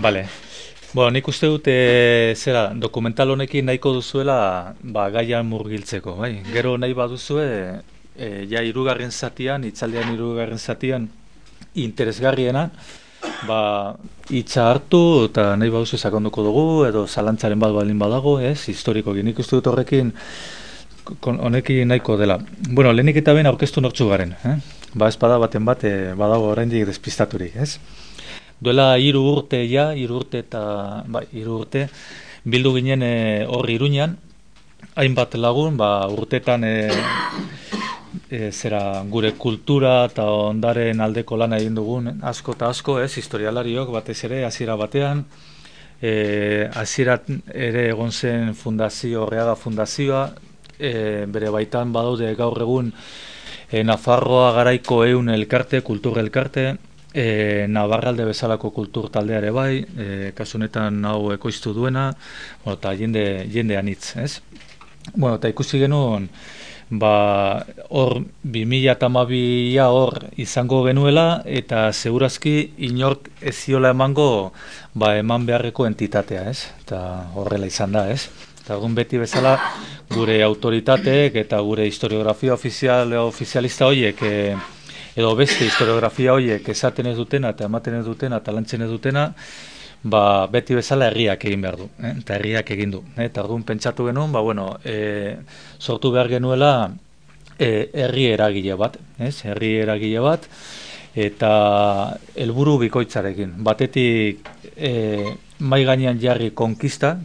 Bale. Nik uste dut zera, dokumental honekin nahiko duzuela gaian murgiltzeko, bai. Gero nahi baduzue, ja hirugarren zatian, hitzaldean hirugarren zatian, interesgarriena, hitza hartu eta nahi baduzu sakonduko dugu, edo zalantzaren bat baldin badago, historikoki. Nik uste dut honekin nahiko dela. Lehenik eta behin aurkeztu nortzu garen, espada baten bat, badago oraindik despistaturik, Duela 3 urte, 3 urte, bildu ginen hor Iruñan, hainbat lagun, urtetan gure kultura eta ondaren aldeko lana egin dugun, asko eta asko, historialariok batez ere, hasiera batean, hasiera ere egon zen fundazio, Orreaga fundazioa, bere baitan badaude gaur egun Nafarroa garaiko elkarte, kultur elkarte, Navarralde bezalako kultur taldeare bai, kasu honetan hau ekoiztu duena, eta jende anitz, eta ikusi genuen, hor 2012a hor izango genuela, eta segurazki inork ez ziola emango eman beharreko entitatea, eta horrela izan da, Eta egun beti bezala gure autoritateek eta gure historiografia ofizialista horiek, edo beste historiografia horiek esaten ez dutena eta ematen ez dutena eta lantzen ez dutena, beti bezala herriak egin behar du, eta herriak egin du. Eta orduan pentsatu genuen, sortu behar genuela herri eragile bat, herri eragile bat, eta helburu bikoitzarekin. Batetik mai gainean jarri konkista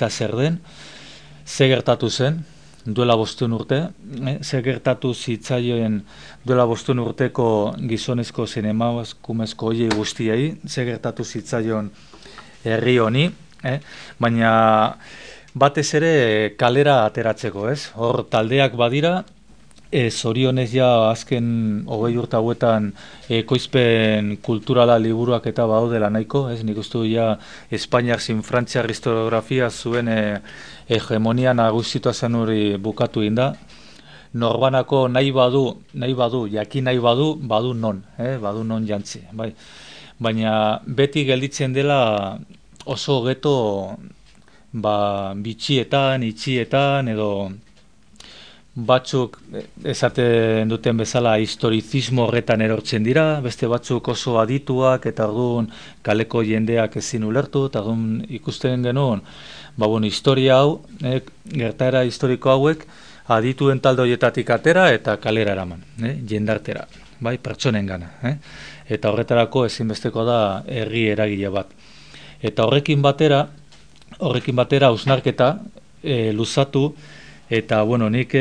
zer den, ze gertatu zen, duela 5 urte, ze gertatu zitzaioen duela 5 urteko gizonezko zein emakumezko horiei guztiei, ze gertatu zitzaion herri honi, baina batez ere kalera ateratzeko, hor taldeak badira, zorionez ja azken 20 urte hauetan ekoizpen kulturala liburuak eta badaudela nahiko, nik uste du ja Espainiak zin Frantziar historiografia zuen hegemonia nagusitua zen hori bukatu inda. Norbanako nahi badu, jakin nahi badu non jantzi. Baina beti gelditzen dela oso geto bitxietan, itxietan, edo batzuk esaten duten bezala historizismo horretan erortzen dira, beste batzuk oso adituak eta orduan kaleko jendeak ezin ulertu, eta orduan ikusten genuen, historia hau, gertaera historiko hauek, adituen talde horietatik atera eta kalera eraman, jendartera, pertsonen gana. Eta horretarako ezinbesteko da herri eragile bat. Eta horrekin batera hausnarketa luzatu, eta nik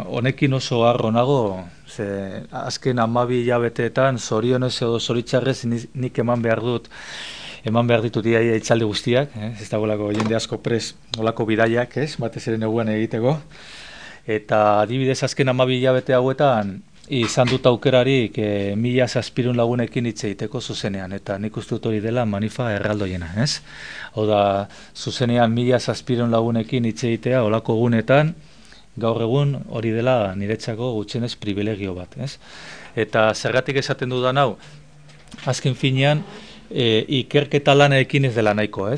honekin oso harro nago, azken 12 hilabeteetan zorionez edo zoritzarrez nik eman behar ditut iaia itzaldi guztiak, ez dagoelako jende asko pres olako bidaiak, batez ere neguan egiteko, eta adibidez azken 12 hilabete hauetan izan dut aukerarik 1700 lagunekin hitz egiteko zuzenean, eta nik uste dut hori dela manifa erraldoiena, Hau da, zuzenean 1700 lagunekin hitz egitea olako gunetan, gaur egun hori dela niretzako gutxienez privilegio bat, Eta zergatik esaten dudan hau, azken finean, ikerketa lanekin ez dela nahiko,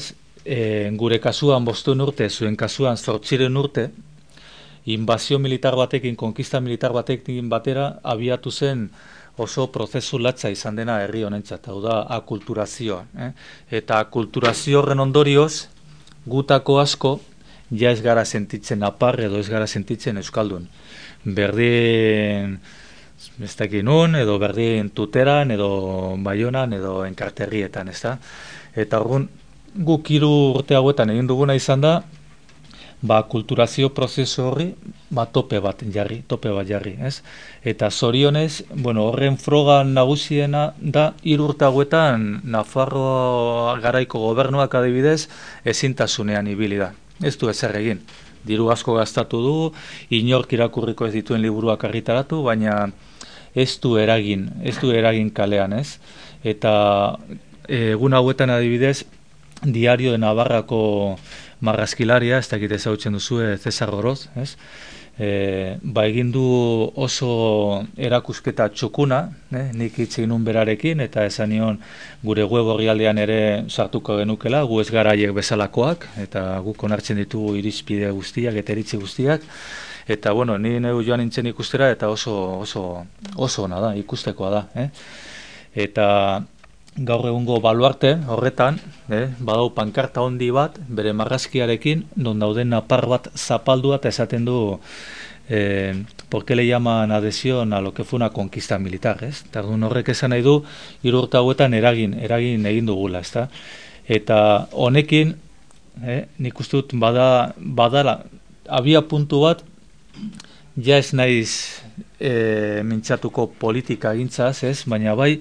Gure kasuan 5 urte, zuen kasuan 8 urte, inbazio militar batekin, konkista militar batekin batera, abiatu zen oso prozesu latza izan dena herri honentzat, hau da, akulturazioa. Eta akulturazio horren ondorioz, gutako asko, ja ez gara sentitzen apar edo ez gara sentitzen euskaldun. Berdin, ez dakit nun, edo berdin tuteran, edo baionan, edo enkarterrietan, ezta? Eta orduan, guk 3 urte hauetan egin duguna izan da, kulturazio prozesu horri, tope bat jarri, Eta zorionez, horren froga nagusiena da, 3 urte hauetan, Nafarroa garaiko gobernuak adibidez, ezintasunean ibili da. Ez du ezer egin. Diru asko gastatu du, inork irakurriko ez dituen liburuak argitaratu, baina ez du eragin kalean, Eta egun hauetan adibidez, Diario de Navarrako marrazkilaria, ez dakit ezagutzen duzu, Cesar Oroz, egin du oso erakusketa txukuna, nik hitz egin nun berarekin, eta esan nion gure web orrialdean ere sartuko genukela, gu ez gara haiek bezalakoak, eta guk onartzen ditugu irizpide guztiak eta iritzi guztiak, eta bueno, ni neu joan nintzen ikustera, eta oso ona da, ikustekoa da. Eta gaur egungo baluarte horretan, badau pankarta handi bat, bere marrazkiarekin, non dauden napar bat zapaldua eta esaten du ¿por qué le llaman adhesión a lo que fue una conquista militar? Tardun horrek esan nahi du, 3 urte hauetan eragin egin dugula, ezta? Eta honekin, nik uste dut badala, abia puntu bat, ja ez naiz mintzatuko politika gintzaz, baina bai,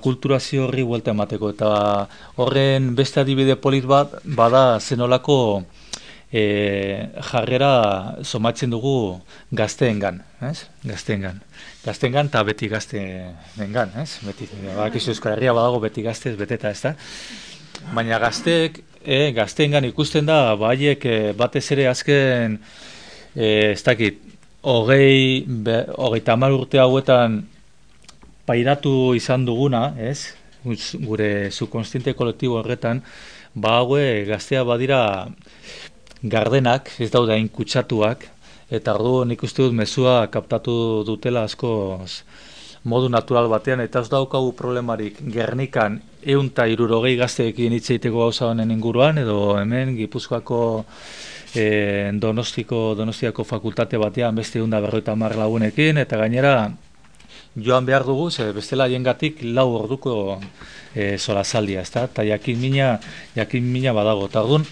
kulturazio horri buelta emateko, eta horren beste adibide polit bat, bada zenolako jarrera somatzen dugu gazteengan, gazteengan eta beti gazteengan, beti, badakizu Euskal Herria badago beti gaztez beteta, ez da? Baina gazteengan ikusten da, haiek batez ere azken, ez dakit, 30 urte hauetan pairatu izan duguna, gure subkonstiente kolektibo horretan, haue gaztea badira gardenak, ez daude hain kutsatuak, eta ordu nik uste dut mezua kaptatu dutela asko modu natural batean, eta ez daukagu problemarik Gernikan 160 gazteekin hitz egiteko gauza honen inguruan, edo hemen Gipuzkoako Donostiako fakultate batean beste 150 lagunekin, eta gainera joan behar dugu, bestela jengatik 4 orduko solasaldia, eta jakin mina badago. Eta orduan,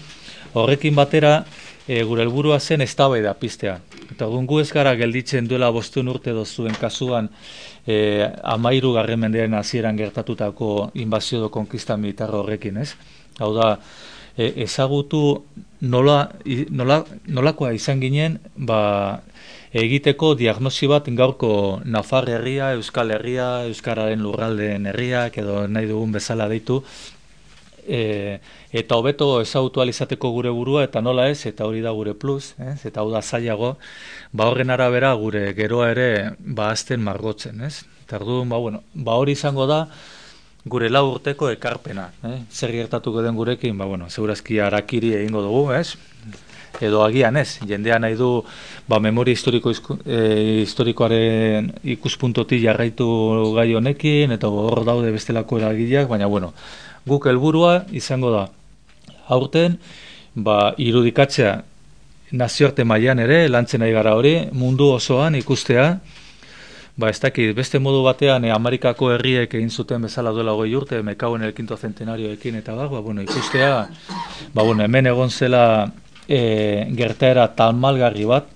horrekin batera, gure helburua zen eztabaida piztea. Eta orduan gu ez gara gelditzen duela 5 urte dozuen kasuan 13. mendearen hasieran gertatutako inbazio edo konkista militar horrekin, Hau da, ezagutu nolakoa izan ginen, egiteko diagnosi bat gaurko Nafar herria, Euskal Herria, Euskararen lurraldeen herriak, edo nahi dugun bezala deitu, eta hobeto ezagutu alizateko gure burua, eta nola ez, eta hori da gure plus, eta hau da zailago, horren arabera gure geroa ere azten margotzen, Eta orduan, hori izango da gure 4 urteko ekarpena, zer gertatuko den gurekin, segurazki harakiri egingo dugu, edo agian ez, jendean nahi du memoria historikoaren ikuspuntotik jarraitu gai honekin, eta hor daude bestelako eragileak, baina guk helburua izango da aurten irudikatzea nazioarte mailan ere, lantzen nahi gara hori, mundu osoan ikustea, ez dakit, beste modu batean Amerikako herriek egin zuten bezala duela 20 urte, Mekauen el quinto centenarioekin eta ikustea, hemen egon zela gertaera talmalgarri bat,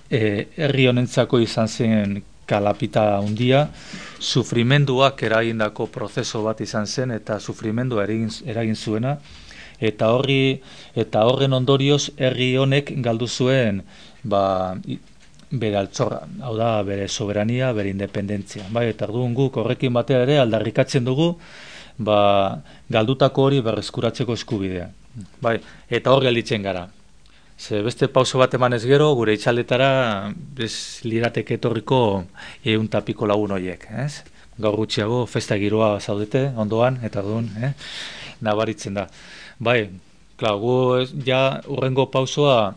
herri honentzako izan zen kalapita handia, sufrimenduak eragindako prozeso bat izan zen, eta sufrimendua eragin zuena, eta horren ondorioz herri honek galdu zuen bere altxorra, hau da, bere soberania, bere independentzia. Eta orduan guk horrekin batera ere aldarrikatzen dugu, galdutako hori berreskuratzeko eskubidea. Eta hor gelditzen gara. Beste pauso bat emanez gero, gure itxaldetara lirateke etorriko 100 lagun horiek. Gaur gutxiago, festa giroa zaudete, ondoan, eta orduan, nabaritzen da. Gu ja urrengo pausoa,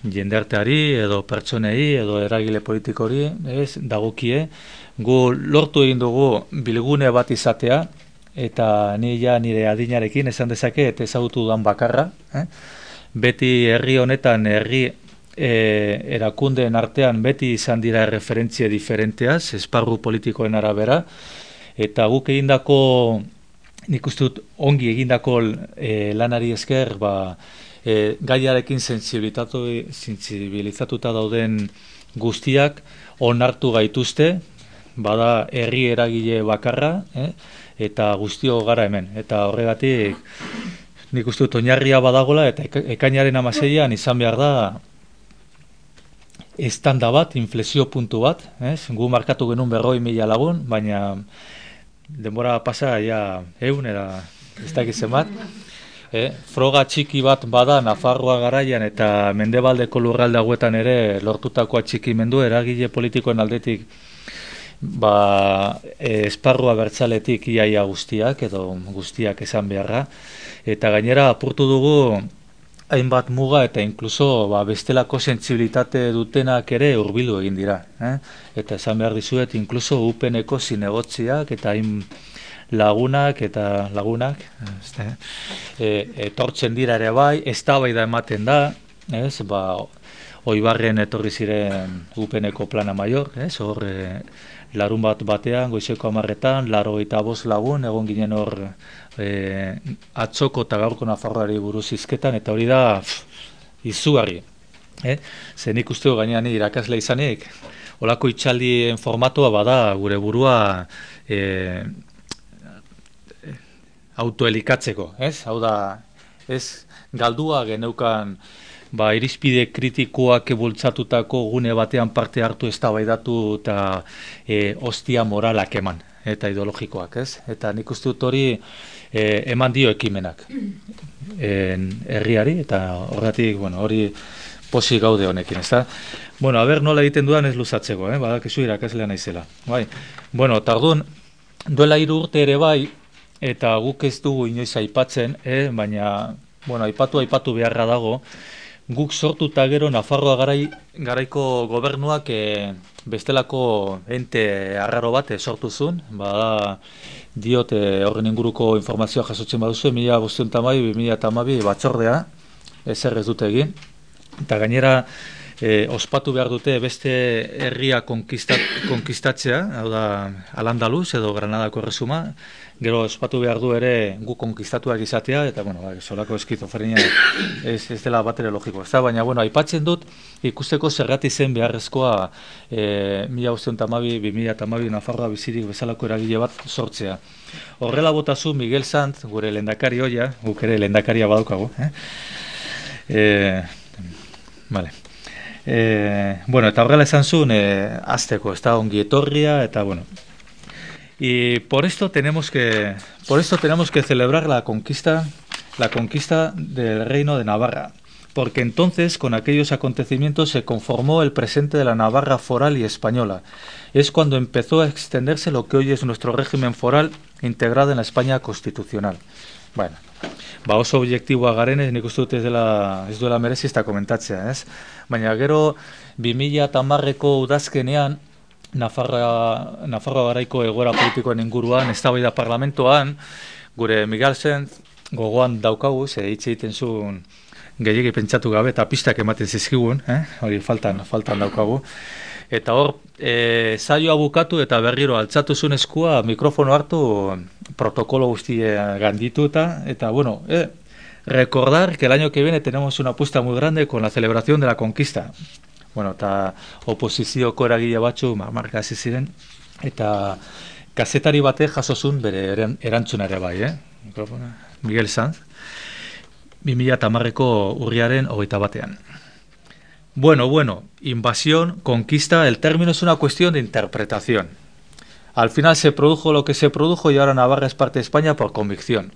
jendearteari, edo pertsonei, edo eragile politikori, dagokie, gu lortu egin dugu bilgune bat izatea, eta nire adinarekin esan dezake, eta ezagutu dudan bakarra, beti herri honetan, herri erakundeen artean, beti izan dira referentzia diferenteaz, esparru politikoen arabera, eta guk egindako, nik uste dut ongi egindako lanari esker, gaiarekin sentsibilizatuta dauden guztiak onartu gaituzte, bada herri eragile bakarra, eta guztio gara hemen. Eta horregatik nik uste dut oinarria badagola, eta ekainaren 16an izan behar da estanda bat, inflexio puntu bat, gu markatu genuen 100.000 lagun, baina denbora pasa ja 100 eta ez dakizen bat. Froga txiki bat bada Nafarroa garaian eta mendebaldeko lurralde hauetan ere lortutako atxikimendu eragile politikoen aldetik esparrua bertzaletik iaia guztiak edo guztiak esan beharra, eta gainera apurtu dugu hainbat muga eta inkluso bestelako sentsibilitate dutenak ere hurbildu egin dira. Eta esan behar dizuet, inkluso UPN-eko zinegotziak eta hain lagunak etortzen dira ere bai, eztabaida ematen da, Oibarren etorri ziren UPN-eko plana maior, hor larun batean, goizeko 10etan, 85 lagun, egon ginen hor atzoko eta gaurko Nafarroari buruz hizketan, eta hori da izugarri. Ze nik uste gainean irakasle izanik, olako itxaldien formatua bada gure burua autoelikatzeko, hau da, ez galdua geneukan irizpide kritikoak bultzatutako gune batean parte hartu eztabaidatu eta ostia moralak eman eta ideologikoak, ez? Eta nik uste dut hori eman dio ekimenak herriari, eta horregatik, hori pozik gaude honekin, ezta? Aber nola egiten dudan ez luzatzeko, badakizu irakaslea naizela. Eta orduan, duela 3 urte ere bai, eta guk ez dugu inoiz aipatzen, baina, aipatu beharra dago, guk sortu eta gero Nafarroa garaiko gobernuak bestelako ente arraro bat sortu zuen, diot horren inguruko informazioa jasotzen baduzu, 1512-2012 batzordea, ezer ez dute egin, eta gainera ospatu behar dute beste herria konkistatzea, hau da Al-Andalus edo Granadako Erresuma, gero ospatu behar du ere gu konkistatuak izatea, eta solako eskizofrenia ez dela bat ere logiko. Baina, aipatzen dut ikusteko zergatik zen beharrezkoa 1512-2012 Nafarroa bizirik bezalako eragile bat sortzea. Horrela botazu Miguel Sanz, gure lehendakari hoia, guk ere lehendakaria badaukagu. Eta horrela esan zuen azteko, ez da ongi etorria, eta y por esto tenemos que celebrar la conquista del Reino de Navarra, porque entonces con aquellos acontecimientos se conformó el presente de la Navarra foral y española. Es cuando empezó a extenderse lo que hoy es nuestro régimen foral integrado en la España constitucional. Oso objektiboa garenez, nik uste dut ez duela merezi ez da komentatzea, ez? Baina gero 2010ko udazkenean Nafarroa garaiko egoera politikoen inguruan, eztabaida parlamentoan, gure Miguel Sanz gogoan daukagu, hitz egiten zuen gehiegi pentsatu gabe eta pistak ematen zizkigun, hori faltan daukagu. Eta hor, saioa bukatu eta berriro altzatu zuen eskua, mikrofono hartu, protokolo guztia gandituta, eta recordar que el año que viene tenemos una apuesta muy grande con la celebración de la conquista. Eta oposizioko eragile batzu marka hasi ziren, eta kazetari batek jaso zuen bere erantzunare bai, Miguel Sanz, 2010ko urriaren 21. Invasión, conquista, el término es una cuestión de interpretación. Al final se produjo lo que se produjo y ahora Navarra es parte de España por convicción.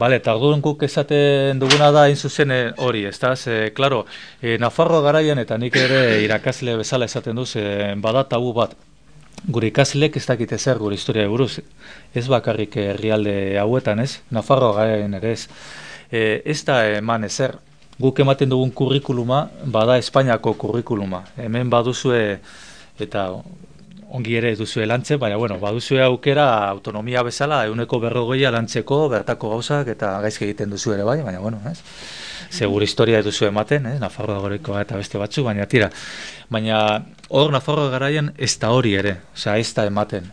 Eta orduan guk esaten duguna da hain zuzen hori, claro, Nafarroa garaian eta nik ere irakasle bezala esaten duz, bada tabu bat. Gure ikaslek ez dakite zer gure historia buruz, ez bakarrik herrialde hauetan, ez? Nafarroa garaian ere ez. Ez da eman ezer. Guk ematen dugun kurrikuluma, bada Espainiako kurrikuluma. Hemen baduzue, eta ongi ere duzue lantzen, baina baduzue aukera autonomia bezala, 140 lantzeko, bertako gauzak, eta gaizki egiten duzu ere bai, baina ez? Segur historia duzu ematen, Nafarroa garaikoa eta beste batzu, baina tira. Baina hor Nafarroa garaian ez da hori ere, ez da ematen,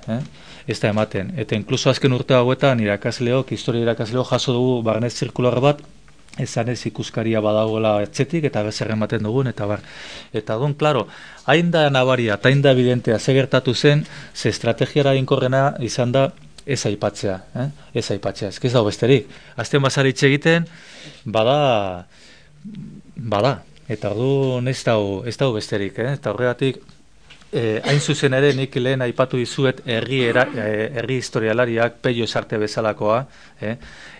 ez da ematen. Eta inkluso azken urte hauetan historia irakasleok jaso dugu barnez zirkular bat, esan ez ikuskaria badagoela etxetik eta bezer ematen dugun, eta bar. Eta don, klaro, hain da nabaria eta hain da evidentea segertatu zen, ze estrategiara inkorrena izan da ez aipatzea, ez aipatzea, ez dago besterik. Azten bazaritxe egiten, bada, eta orduan ez dago besterik, eta horregatik hain zuzen ere nik lehen aipatu dizuet herri historialariak Pello Esarte bezalakoa,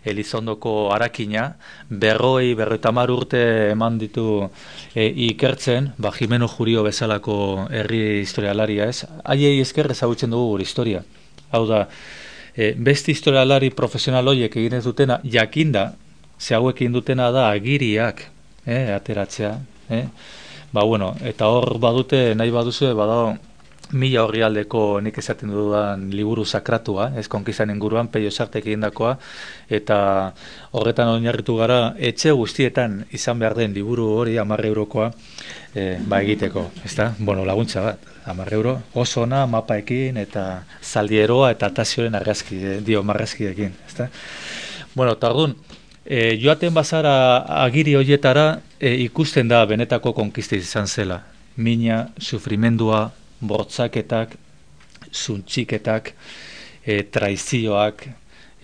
Elizondoko Arakina, 50 urte eman ditu ikertzen, Jimeno Jurio bezalako herri historialaria ez, haiei esker ezagutzen dugu gure historia. Hau da, beste historialari profesional horiek egin ez dutena, jakinda, ze hauekin dutena da agiriak, ateratzea, bueno, eta hor badute, nahi baduzue, badago 1000 orrialdeko nik esaten dudan liburu sakratua, ez konkistan inguruan, Pello Esartek egindakoa, eta horretan oinarritu gara, etxe guztietan izan behar den liburu hori 10 eurokoa egiteko, ezta? Bueno, laguntza bat, 10 euro, oso ona, mapaekin, eta zaldieroa, eta tazioren argazki, marrazkiekin, ezta? Bueno, eta orduan, joaten bazara agiri horietara ikusten da benetako konkista izan zela. Mina, sufrimendua, bortzaketak, zuntxiketak, traizioak,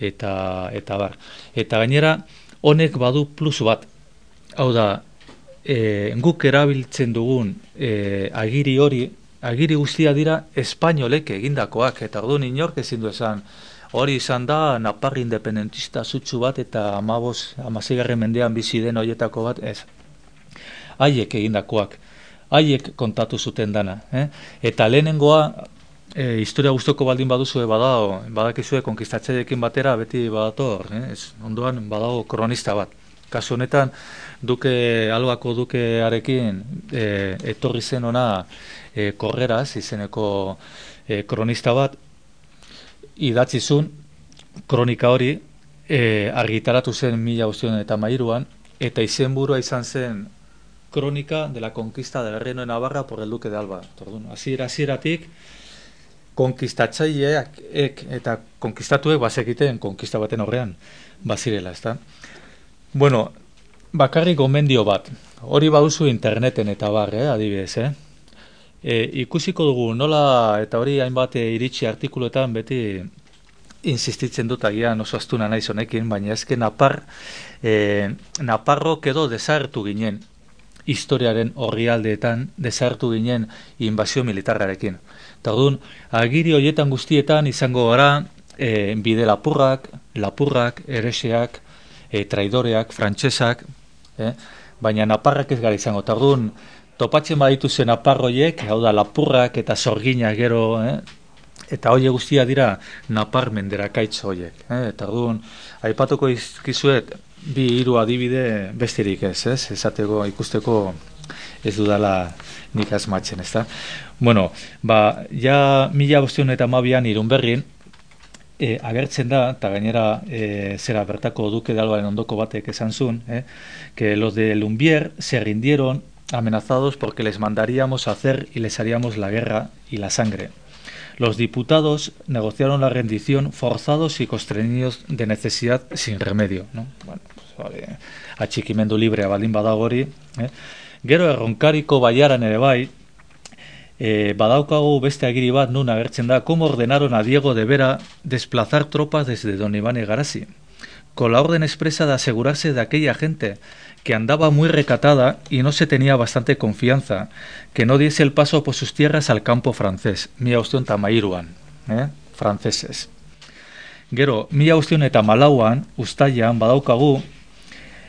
eta bar. Eta gainera, honek badu plus bat. Hau da, guk erabiltzen dugun agiri hori, agiri guztia dira espainolek egindakoak, eta orduan inork ezin du esan, hori izan da, Napar independentista zutsu bat eta 16. mendean bizi den horietako bat, ez. Haiek egindakoak, haiek kontatu zuten dana. Eta lehenengoa, historia guztoko baldin baduzue badakizue konkistatzeekin batera beti badator, ondoan badago kronista bat. Kasu honetan, Albako dukearekin etorri zen ona Korreraz izeneko kronista bat, idatzizun kronika hori argitaratu zen 1913an, eta izenburua izan zen Crónica de la conquista del Reino de Navarra por el Duque de Alba. Hasieratik konkistatzaileak eta konkistatuek bazekiten konkista baten horrean bazirela, ezta? Bueno, bakarrik gomendio bat. Hori baduzu interneten eta bar, adibidez, ikusiko dugu nola, eta hori hainbat iritsi artikuluetan beti insistitzen dut agian oso astuna naiz honekin, baina ezken Naparrok edo desagertu ginen historiaren orrialdeetan, desagertu ginen inbazio militarrarekin. Eta orduan, agiri horietan guztietan izango gara bide lapurrak, ereseak, traidoreak, frantsesak, baina Naparrak ez gara izango. Eta orduan, topatzen baditu zen Naparroiek, hau da, lapurrak eta sorginak gero, eta horiek guztia dira Napar menderakaitz horiek. Eta orduan, aipatuko izkizuet, 2-3 adibide besterik ez, esateko ikusteko ez dudala nik asmatzen, ezta? Bueno, ja 1512an Irunberrin agertzen da, eta gainera zera bertako Duque de Albaren ondoko batek esan zuen, que los de Lumbier se rindieron amenazados porque les mandaríamos a hacer y les haríamos la guerra y la sangre. Los diputados negociaron la rendición forzados y constreñidos de necesidad sin remedio, ¿no? Bueno, atxikimendu librea baldin badago hori. Gero Erronkariko baiaran ere bai, badaukagu beste agiri bat nun agertzen da, cómo ordenaron a Diego de Vera desplazar tropas desde Don Iván Egarasi, con la orden expresa de asegurarse de aquella gente que andaba muy recatada y no se tenía bastante confianza, que no diese el paso por sus tierras al campo francés, 1513an, franceses. Gero, 1514an, Uztailan, badaukagu,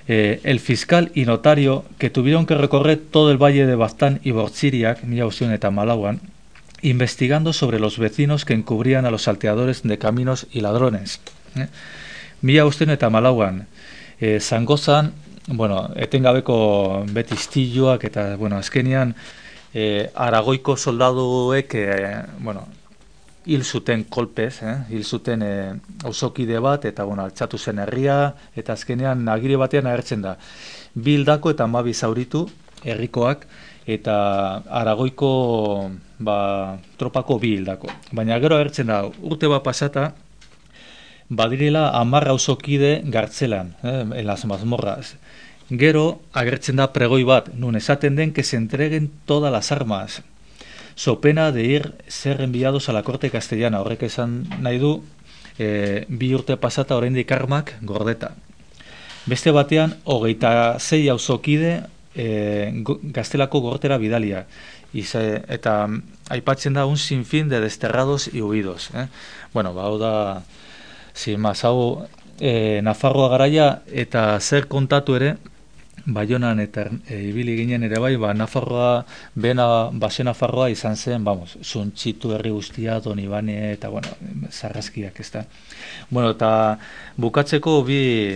el fiscal y notario que tuvieron que recorrer todo el valle de Baztán y Bortziriak, 1514an, investigando sobre los vecinos que encubrían a los salteadores de caminos y ladrones. 1514an, Zangozan, bueno, etengabeko beti istiluak eta, bueno, azkenean Aragoiko soldaduek, bueno, hil zuten kolpez, hil zuten auzokide bat, eta, bueno, altxatu zen herria, eta azkenean agiri batean agertzen da. 2 hildako eta 12 zauritu herrikoak, eta Aragoiko tropako 2 hildako. Baina gero agertzen da, urte bat pasata, badirela 10 auzokide gartzelan, en las mazmorras. Gero agertzen da pregoi bat, nun esaten den que se entreguen todas las armas, so pena de ser enviados a la corte castellana. Horrek esan nahi du, 2 urte pasata oraindik armak gordeta. Beste batean, 26 auzokide gaztelako gortera bidalia. Eta aipatzen da un sinfín de desterrados y huidos. Bueno, hau da, sin más, hau Nafarroa garaia eta zer kontatu ere, Baionan eta ibili ginen ere bai, Nafarroa, base Nafarroa izan zen, Suntxitu herri guztia, Donibane eta, zarrazkiak, ez da. Bueno, eta bukatzeko bi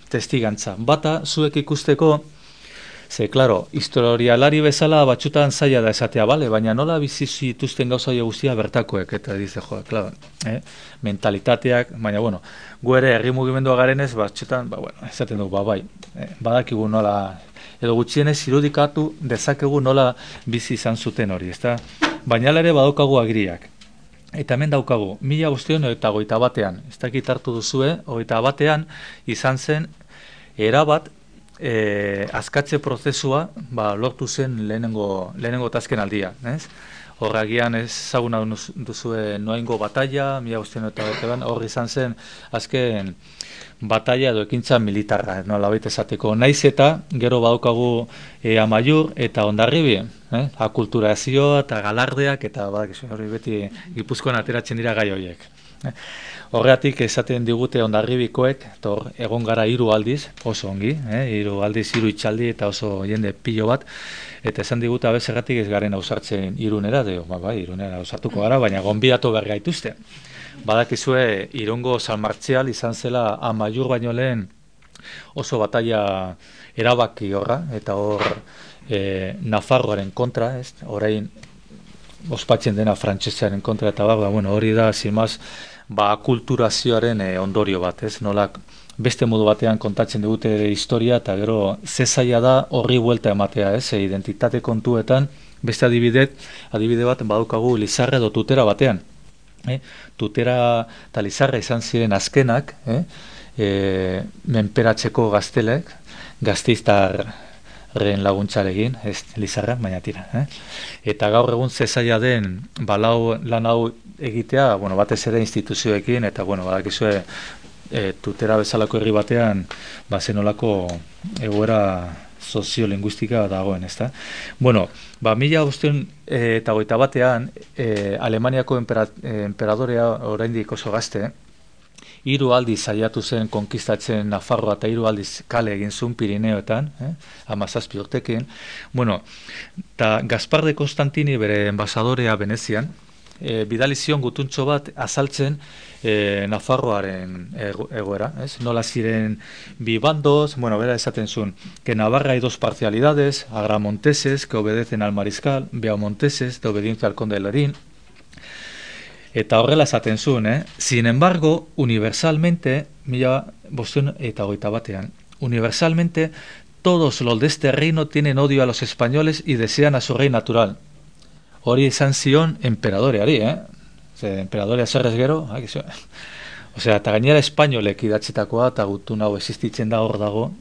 testigantza. Bata, zuek ikusteko, ze, klaro, historialari bezala batxutan zaila da esatea, bale? Baina nola bizi zituzten gauza guztia bertakoek, eta dize, klaro, mentalitateak, baina, gu ere herri mugimendua garenez, batxutan, esaten dugu, bai, badakigu nola, edo gutxienez irudikatu dezakegu nola bizi izan zuten hori, ezta? Baina ere badaukagu agiriak. Eta hemen daukagu, 1921, ez dakit hartu duzue, 21 izan zen, erabat, askatze prozesua lortu zen lehenengo tasken aldia, ez? Horragian ezaguna duzue Noaingo batalla, 1921, hor izan zen azken batalla edo ekintza militarra, nolabait esateko. Naiz eta gero badaukagu Amaiur eta Hondarribi, akulturazioa eta galardeak eta hori beti Gipuzkoan ateratzen dira gai horiek. Horregatik esaten digute Hondarribikoek, egon gara 3 aldiz, oso ongi, 3 aldiz, 3 itxaldi eta oso jende pilo bat, eta esan digute abezerratik ez garen ausartzen Irunera, Irunera ausartuko gara, baina gonbidatu behar gaituzte. Badakizue Irungo San Martzial izan zela Amaiur baino lehen oso batalla erabaki horra, eta hor Nafarroaren kontra, orain ospatzen dena frantsesearen kontra, eta hori da, zimaz, kulturazioaren ondorio bat, ez? Beste modu batean kontatzen digute historia, eta gero zezaila da horri buelta ematea, ez? Identitate kontuetan, beste adibide bat badukagu Lizarra edo Tutera batean. Tutera eta Lizarra izan ziren azkenak, menperatzeko gaztelek, gazteiztarren laguntzarekin, ez Lizarra, baina tira. Eta gaur egun zezaila den lan hau egitea, batez ere instituzioekin, eta badakizue Tutera bezalako herri batean zenolako egoera soziolinguistika dagoen, ezta? 1921 Alemaniako enperadorea oraindik oso gazte, 3 aldiz saiatu zen konkistatzen Nafarroa eta 3 aldiz kale egin zuen Pirineoetan, 17 urtekin. Eta Gaspar de Constantini bere enbasadorea Venezian, bidali zion gutuntxo bat azaltzen Nafarroaren egoera, ez? Nola ziren bi bandos, bera esaten zuen, que Navarra hay 2 parcialidades, agramonteses que obedecen al mariscal, beaumonteses de obediencia al conde de Lerín, eta horrela esaten zuen, Sin embargo, universalmente, 1921, universalmente, todos los de este reino tienen odio a los españoles y desean a su rey natural. Hori izan zion emperadoreari, emperadorea zerrez gero, eta gainera espainolek idatzitakoa, eta gutun hau existitzen da hor dago,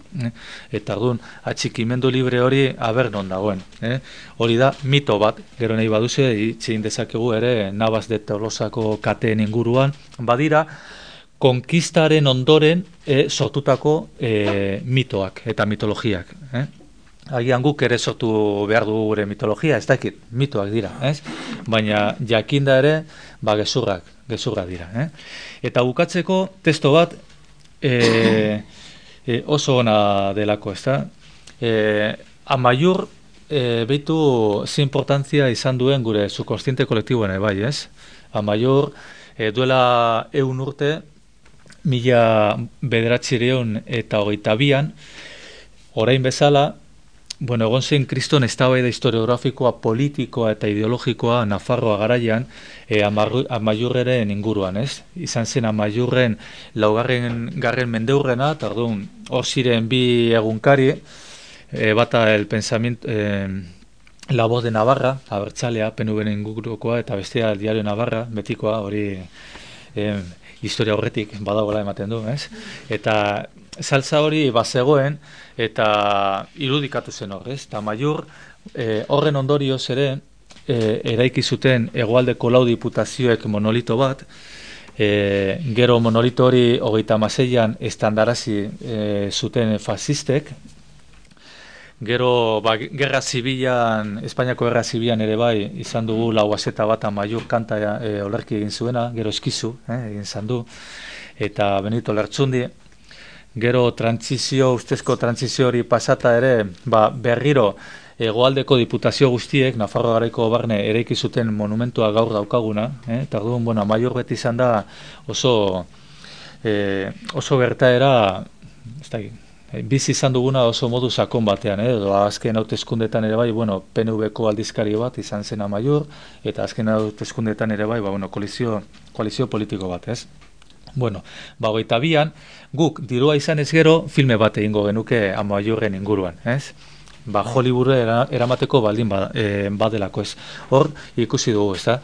eta orduan atxikimendu libre hori non dagoen. Hori da mito bat, gero nahi baduze, itxein dezakegu ere Navas de Tolosako kateen inguruan, badira, konkistaren ondoren sortutako mitoak eta mitologiak. Agian guk ere sortu behar dugu gure mitologia, ez dakit, mitoak dira, ez? Baina jakinda ere, gezurrak dira. Eta bukatzeko testo bat oso ona delako, ez da? Amaiur behitu ze importantzia izan duen gure subkonstiente kolektiboen, bai, ez? Amaiur duela 100 urte, 1922 orain bezala, egon zen kriston eztabaida historiografikoa, politikoa eta ideologikoa Nafarroa garaian Amaiurren inguruan, ez? Izan zen Amaiurren 4. mendeurrena, eta orduan hor ziren bi egunkari, bata el pensamiento, La Voz de Navarra, abertzalea, PNV-en ingurukoa, eta bestea el Diario Navarra, betikoa, hori historia horretik badagoela ematen du, ez? Eta saltza hori bazegoen, eta irudikatu zen hor, ez? Eta Amaiur horren ondorioz ere, eraiki zuten Hegoaldeko 4 diputazioek monolito bat, gero monolito hori 36an estandarazi zuten fasistek, Gero, gerra zibilan, Espainiako gerra zibilan ere bai, izan dugu lau azeta bat Amaiur kanta olerki egin zuena, gero eskizu, egin izan du, eta Benito Lertxundi. Gero ustezko trantzizio hori pasata ere, berriro hegoaldeko diputazio guztiek, Nafarroa Garaiko barne eraiki zuten monumentua gaur daukaguna, eta orduan, Amaiur beti izan da oso gertaera, ez da, bizi izan duguna oso modu sakon batean, edo azken hauteskundetan ere bai, PNV-ko aldizkari bat izan zen Amaiur, eta azken hauteskundetan ere bai, koalizio politiko bat, ez? Hogeita bian, guk dirua izan ez gero, filme bat egingo genuke Amaiurren inguruan, ez? Hollywoodera eramateko baldin badelako, ez? Hor, ikusi dugu, ez da?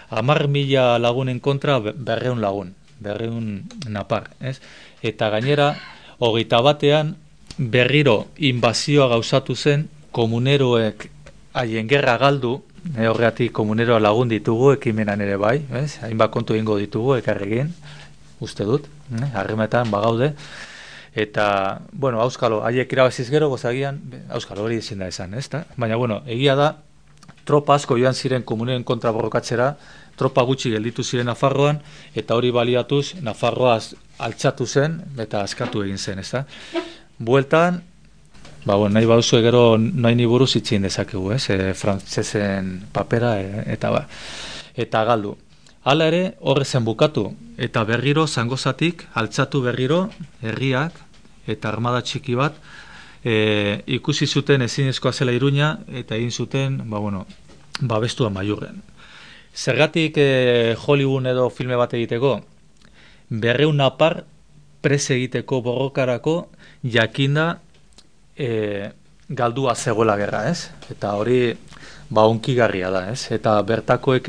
10.000 lagunen kontra 200 lagun, 200 napar, ez? Eta gainera, hogeita batean, berriro inbazioa gauzatu zen, komuneroek haien gerra galdu, horregatik komuneroa lagun ditugu, ekimenan ere bai, hainbat kontu egingo ditugu, ekarregin, uste dut, harremetan bagaude, eta, auskalo, haiek irabaziz gero, gozagian, auskalo hori ezin da esan, ezta? Baina, egia da, tropa asko joan ziren komuneren kontra borrokatzera, tropa gutxi gelditu ziren Nafarroan, eta hori baliatuz, Nafarroa altxatu zen, eta askatu egin zen, ezta? Bueltan, nahi baduzu gero nahi ni buruz itxin dezakegu, frantsesen papera, eta galdu. Hala ere, horrezen bukatu, eta berriro, zangozatik, altxatu berriro, herriak, eta armada txiki bat, ikusi zuten ezinezkoa zela Iruña, eta egin zuten, babestu Amaiurren. Zergatik Hollywood edo filme bat egiteko, 200 napar prese egiteko borrokarako jakinda galdua zegoela gerra, ez? Eta hori onkigarria da, ez? Eta bertakoak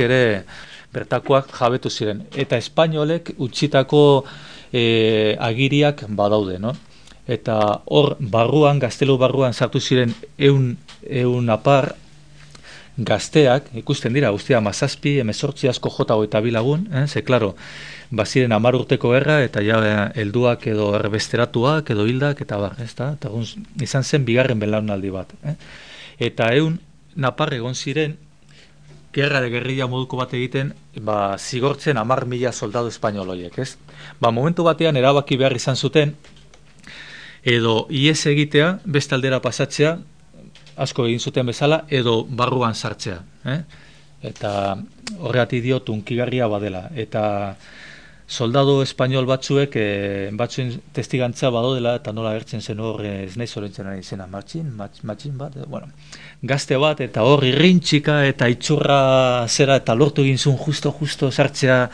jabetu ziren. Eta espainolek utzitako agiriak badaude, no? Eta hor barruan, gaztelu barruan sartu ziren 100 napar gazteak, ikusten dira, guztia 17, 18 asko jota eta bilagun, ze, klaro, baziren 10 urteko gerra, eta ja helduak edo erbesteratuak, edo hildak, eta bar, ez da? Eta izan zen bigarren belaunaldi bat. Eta 100 napar egon ziren, gerrilla moduko bat egiten, zigortzen 10.000 soldadu espainoloiek, ez? Momentu batean erabaki behar izan zuten, edo ies egitea, beste aldera pasatzea, asko egin zuten bezala, edo barruan sartzea. Eta horregatik diot unkigarria badela. Eta soldadu espainol batzuen testigantza badodela, eta nola gertzen zen hor, ez nahi zorentzen ari zena, matxin bat, gazte bat, eta hor irrintxika, eta itxurra zera, eta lortu egin zuen justo sartzea,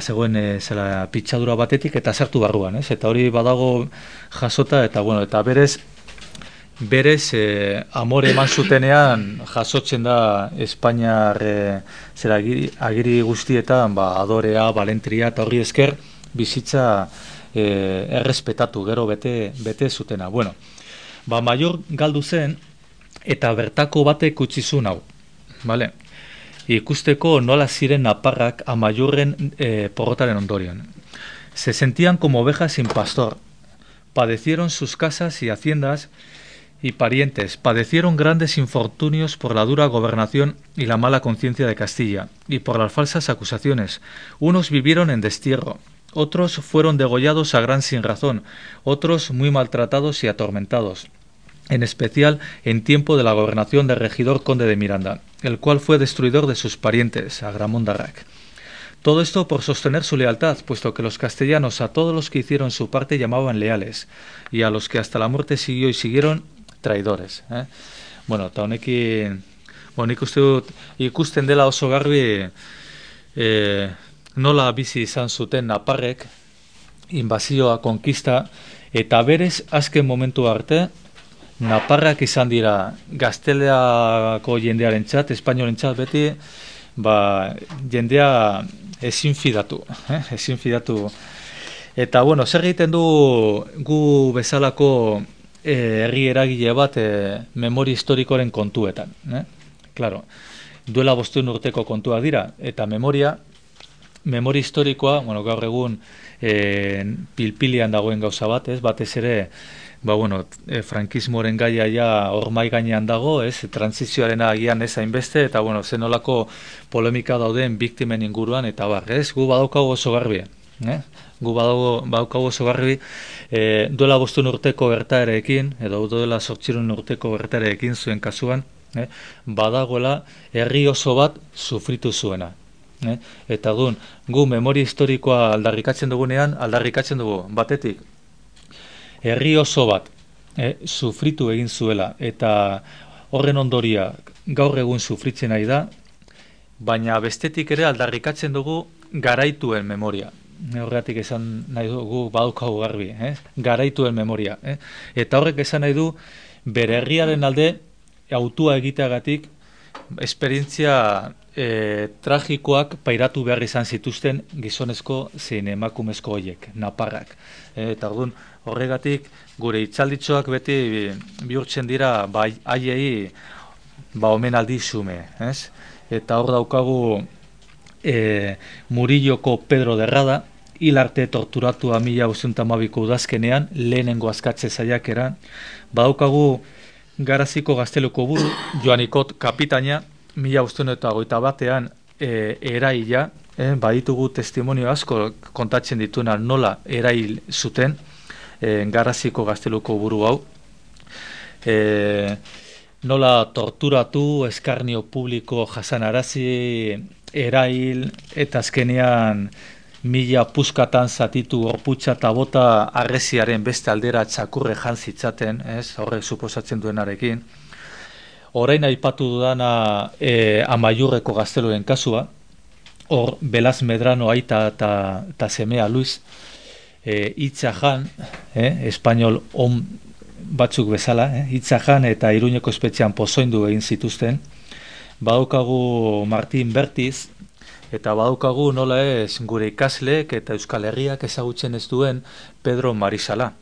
zegoen pitxadura batetik, eta sartu barruan, ez? Eta hori badago jasota, eta berez amore eman zutenean jasotzen da Espainiar agiri guztietan adorea, balentria, eta hori esker bizitza errespetatu, gero bete zutena. Amaiur galdu zen, eta bertako batek utzi zuen hau, bale? Ikusteko nola ziren naparrak Amaiurren porrotaren ondorian. Se sentían como ovejas sin pastor. Padecieron sus casas y haciendas y parientes. Padecieron grandes infortunios por la dura gobernación y la mala conciencia de Castilla, y por las falsas acusaciones. Unos vivieron en destierro, otros fueron degollados a gran sinrazón, otros muy maltratados y atormentados. En especial en tiempo de la gobernación del regidor conde de Miranda, el cual fue destruidor de sus parientes, Agramont d'Arrac. Todo esto por sostener su lealtad, puesto que los castellanos a todos los que hicieron su parte llamaban leales, y a los que hasta la muerte siguió y siguieron, traidores. Eta honekin, nik uste dut ikusten dela oso garbi nola bizi izan zuten naparrek, inbazioa, konkista, eta berez azken momentu arte, naparrak izan dira gazteleako jendearen txat, espainolen txat beti, jendea ezin fidatu. Eta, zer egiten du gu bezalako herri eragile bat memoria historikoren kontuetan. Claro, duela 500 urteko kontuak dira, eta memoria memoria historikoa, bueno, gaur egun pilpilian dagoen gauza bat, ez? Batez ere, frankismoaren gaia ja hor mahai gainean dago, ez? Transizioaren agian ez hainbeste, eta bueno, zenolako polemika dauden biktimen inguruan, eta bar, ez? Gu badaukagu oso garbi, Gu badaukagu oso garbi, duela 5 urteko gertaerekin, edo duela 8 urteko gertaerekin zuen kasuan, badagoela herri oso bat sufritu zuena. Eta gu memoria historikoa aldarrikatzen dugunean, aldarrikatzen dugu, batetik, herri oso bat sufritu egin zuela, eta horren ondoria gaur egun sufritzen nahi da, baina bestetik ere aldarrikatzen dugu garaituen memoria. Horregatik esan nahi dugu badaukagu garbi, garaituen memoria. Eta horrek esan nahi du bere herriaren alde autua egiteagatik esperientzia tragikoak pairatu behar izan zituzten gizonezko zein emakumezko horiek, naparrak. Eta horregatik gure hitzalditxoak beti bihurtzen dira haiei omenaldi xume. Eta hor daukagu Murilloko Pedro de Rada, hil arte torturatua 1912ko udazkenean, lehenengo askatze saiakeran. Badaukagu Garaziko gazteluko buru, Joanikot kapitaina, 1921ean eraila, baditugu testimonio asko kontatzen dituena nola erail zuten Garaziko gazteluko buru hau. Nola torturatu, eskarnio publiko jasanarazi, erail, eta azkenean 1000 puskatan zatitu gorputza eta bota arreziaren beste aldera txakurre jantzitzaten, horrek suposatzen duenarekin. Orain aipatu dudana Amaiurreko gazteluen kasua, hor Belaz Medrano aita eta semea Luis, Itzajan, espainol on batzuk bezala, Itzajan eta Iruñeko espetxean pozoindu egin zituzten. Badaukagu Martin Bertiz, eta badaukagu nola ez gure ikasleek eta Euskal Herriak ezagutzen ez duen Pedro Marisala.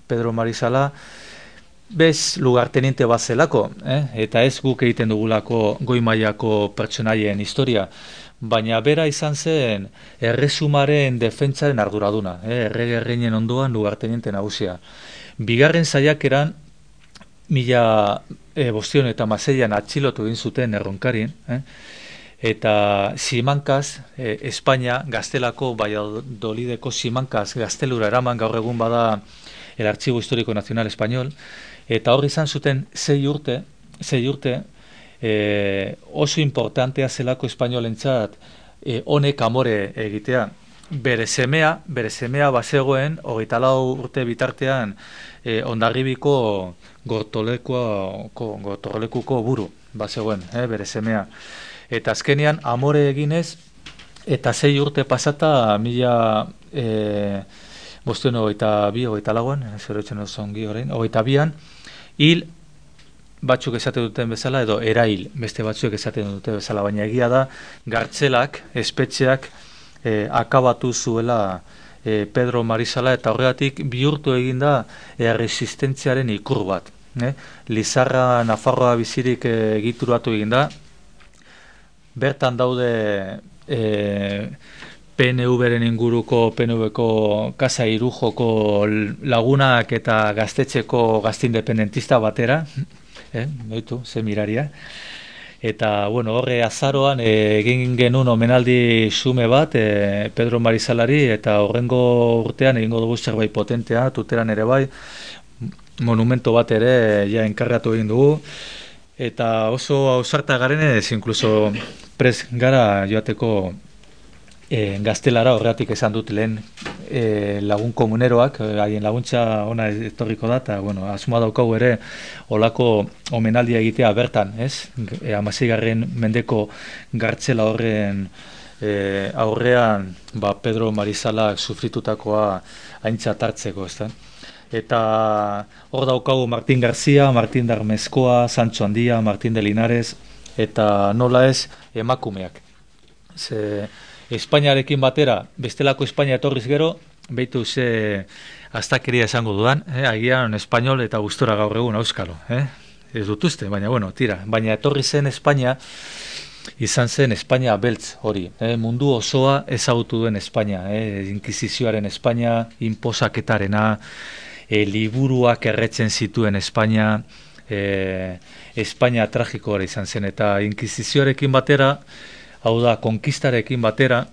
Pedro Marisala bez lugarteniente bat zelako, eta ez guk egiten dugulako goi mailako pertsonaien historia, baina bera izan zen erresumaren defentsaren arduraduna, errege erreinen ondoan lugarteniente nagusia. Bigarren saiakeran 1506an atxilotu egin zuten Erronkarin, eta Simankaz, Espainia, Gaztelako, Valladolideko Simankaz gaztelura eraman, gaur egun bada el Archivo Histórico Nacional Español, eta hor izan zuten 6 urte, oso importantea zelako espainolentzat honek amore egitea. Bere semea bazegoen, 24 urte bitartean, Hondarribiko Gortorlekuko buru bazegoen, bere semea. Eta azkenean amore eginez, eta 6 urte pasata 22an, hil batzuk esaten duten bezala, edo erail beste batzuk esaten duten bezala, baina egia da, gartzelak, espetxeak akabatu zuela Pedro Marisala, eta horregatik bihurtu eginda resistentziaren ikur bat. Lizarra Nafarroa bizirik egituratu eginda, bertan daude PNV-ren inguruko, PNV-ko Kasa Irujoko lagunak eta gaztetxeko gazte independentista batera, noitu, ze miraria. Eta, horre azaroan egin genuen omenaldi xume bat Pedro Marisalari, eta horrengo urtean egingo dugu zerbait potentea, tuteran ere bai, monumento bat ere ja enkargatu egin dugu, eta oso ausarta garenez, inkluso prest gara joateko gaztelara, horregatik esan dut lehen lagun komuneroak, haien laguntza ona etorriko da, eta asmoa daukagu ere olako omenaldia egitea bertan, 16. mendeko gartzela horren aurrean Pedro Marisalak sufritutakoa aintzat hartzeko, eta hor daukagu Martin García, Martin Darmezkoa, Sancho Handia, Martin de Linares, eta nola ez emakumeak. Espainiarekin batera, bestelako Espainia etorriz gero, behitu ze astakeria esango dudan, agian espainol eta gustora gaur egun auskalo. Ez dut uste, baina tira. Baina etorri zen Espainia, izan zen Espainia beltz hori. Mundu osoa ezagutu duen Espainia, Inkisizioaren Espainia, inposaketarena, liburuak erretzen zituen Espainia, Espainia tragikoa izan zen, eta Inkisizioarekin batera, hau da, konkistarekin batera,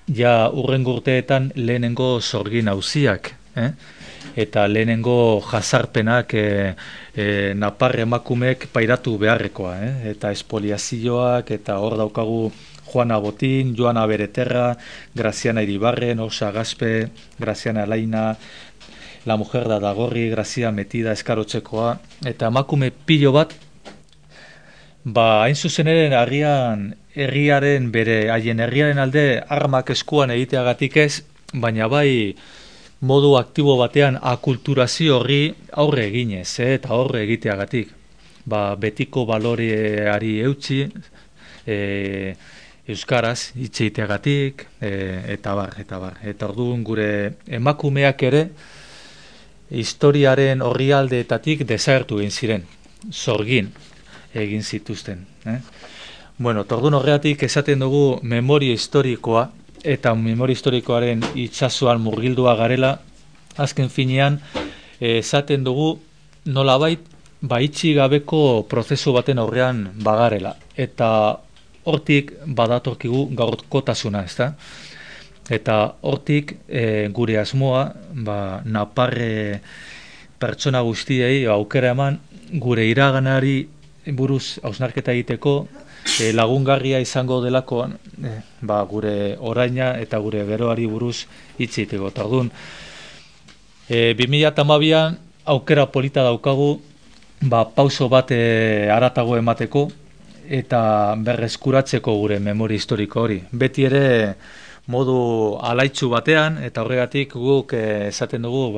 ja urrengo urteetan lehenengo sorgin auziak, eta lehenengo jazarpenak napar emakumeek pairatu beharrekoa, eta espoliazioak, eta hor daukagu Juana Botín, Joana Bereterra, Graziana Iribarren, Osa Gaspe, Graziana Laina, La Mujer da Dagorri, Grazia Metida, Eskarotzekoa, eta emakume pilo bat, hain zuzen ere herriaren bere, haien herriaren alde armak eskuan egiteagatik ez, baina bai modu aktibo batean akulturazio horri aurre eginez, eta aurre egiteagatik. Betiko baloreari eutxi, euskaraz hitz egiteagatik, eta bar. Eta orduan gure emakumeak ere historiaren orrialdeetatik desagertu egin ziren, sorgin egin zituzten. Orduan horregatik esaten dugu memoria historikoa, eta memoria historikoaren itsasoan murgildua garela, azken finean esaten dugu nolabait itxi gabeko prozesu baten aurrean bagarela. Eta hortik badatorkigu gaurkotasuna, ezta? Eta hortik gure asmoa, naparre pertsona guztiei aukera eman, gure iraganari buruz hausnarketa egiteko, lagungarria izango delako gure oraina eta gure geroari buruz hitz egiteko. Orduan, 2012an aukera polita daukagu pauso bat haratago emateko eta berreskuratzeko gure memoria historiko hori. Beti ere modu alaitzu batean, eta horregatik guk esaten dugu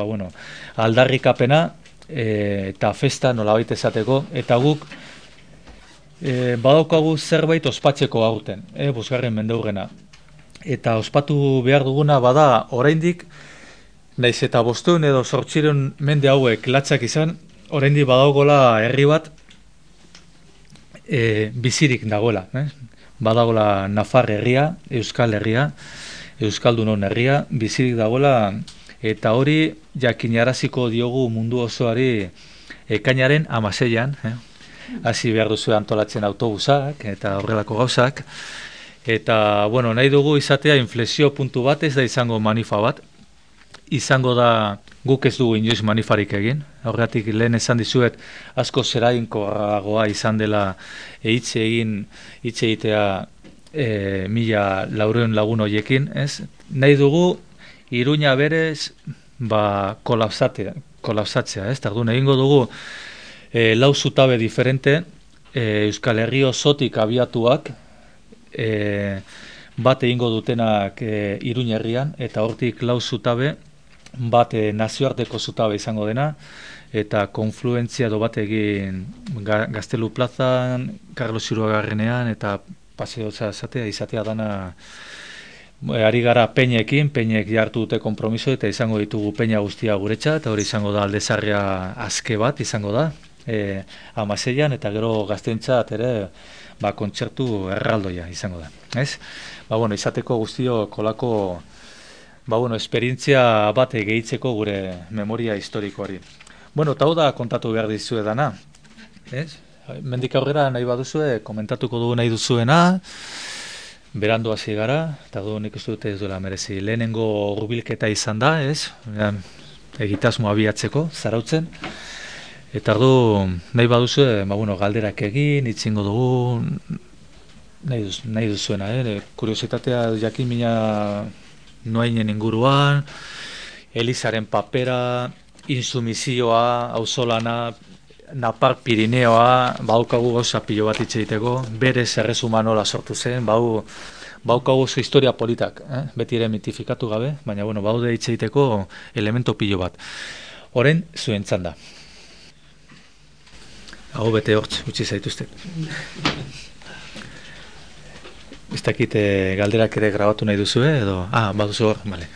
aldarrikapena eta festa nolabait esateko, eta guk badaukagu zerbait ospatzeko aurten, bosgarren mendeurrena. Eta ospatu behar duguna bada oraindik, naiz eta 500 edo 800 mende hauek latzak izan, oraindik badaugola herri bat bizirik dagoela. Badagola Nafar herria, Euskal herria, Euskaldunon herria, bizirik dagoela, eta hori jakinaraziko diogu mundu osoari ekainaren 16an, hasi behar duzu antolatzen autobusak eta horrelako gauzak, eta nahi dugu izatea inflexio puntu bat, ez da izango manifa bat, izango da guk ez dugu inoiz manifarik egin, horregatik lehen esan dizuet asko zerainkorragoa izan dela hitz egitea 1400 lagun horiekin, ez? Nahi dugu Iruña berez kolapsatzea, ez? Orduan egingo dugu 4 zutabe diferente, Euskal Herri osotik abiatuak, bat egingo dutenak Iruña herrian, eta hortik 4 zutabe, bat nazioarteko zutabe izango dena, eta konfluentzia edo bat egin Gaztelu plazan, Carlos Hirugarrenean, eta paseo izatea dana, ari gara peinekin, peinek jartu dute konpromiso, eta izango ditugu peina guztia guretza, eta hori izango da Aldezarria azke bat izango da, 16an, eta gero gaztentzat ere kontzertu erraldoia izango da. Ez? Izateko guztio kolako esperientzia bat gehitzeko gure memoria historikoari. Eta hau da kontatu behar dizue dana. Mendik aurrera nahi baduzue, komentatuko dugu nahi duzuena, berandu hasi gara, eta nik uste dute ez duela merezi. Lehenengo hurbilketa izan da, egitasmo abiatzeko, zarautzen. Eta nahi baduzue, galderak egin, itzingo dugu, nahi duzuena, kuriositatea jakin mina noainen inguruan, Elizaren papera, insumizioa, auzolana, Napar Pirineoa, baukagu gauza pilo bat hitz egiteko, berez erresuma nola sortu zen, baukagu zu historia politak, beti ere mitifikatu gabe, baina baude hitz egiteko elemento pilo bat. Orain zuen txanda. Hau bete hortz, utzi zaituzte. Ez dakit galderak ere grabatu nahi duzu, edo... baduzu hor, bale.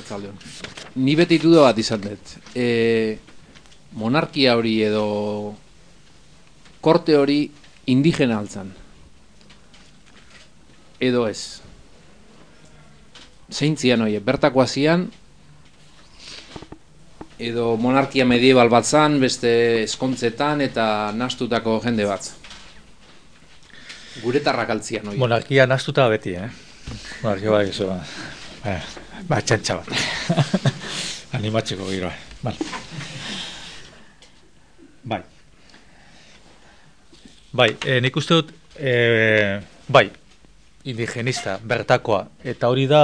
Zaldeon. Ni beti duda bat izan dut. Monarkia hori edo korte hori indigena altzan. Edo ez. Zeintzian hori, bertakoa zian, edo monarkia medieval bat zan, beste eskontzetan eta nastutako jende bat. Guretarrak altzian hori. Monarkia nastuta beti, Monarkia bai, eso, txantxa bat. Animatzeko giroa. Bai, nik uste dut, bai, indigenista, bertakoa, eta hori da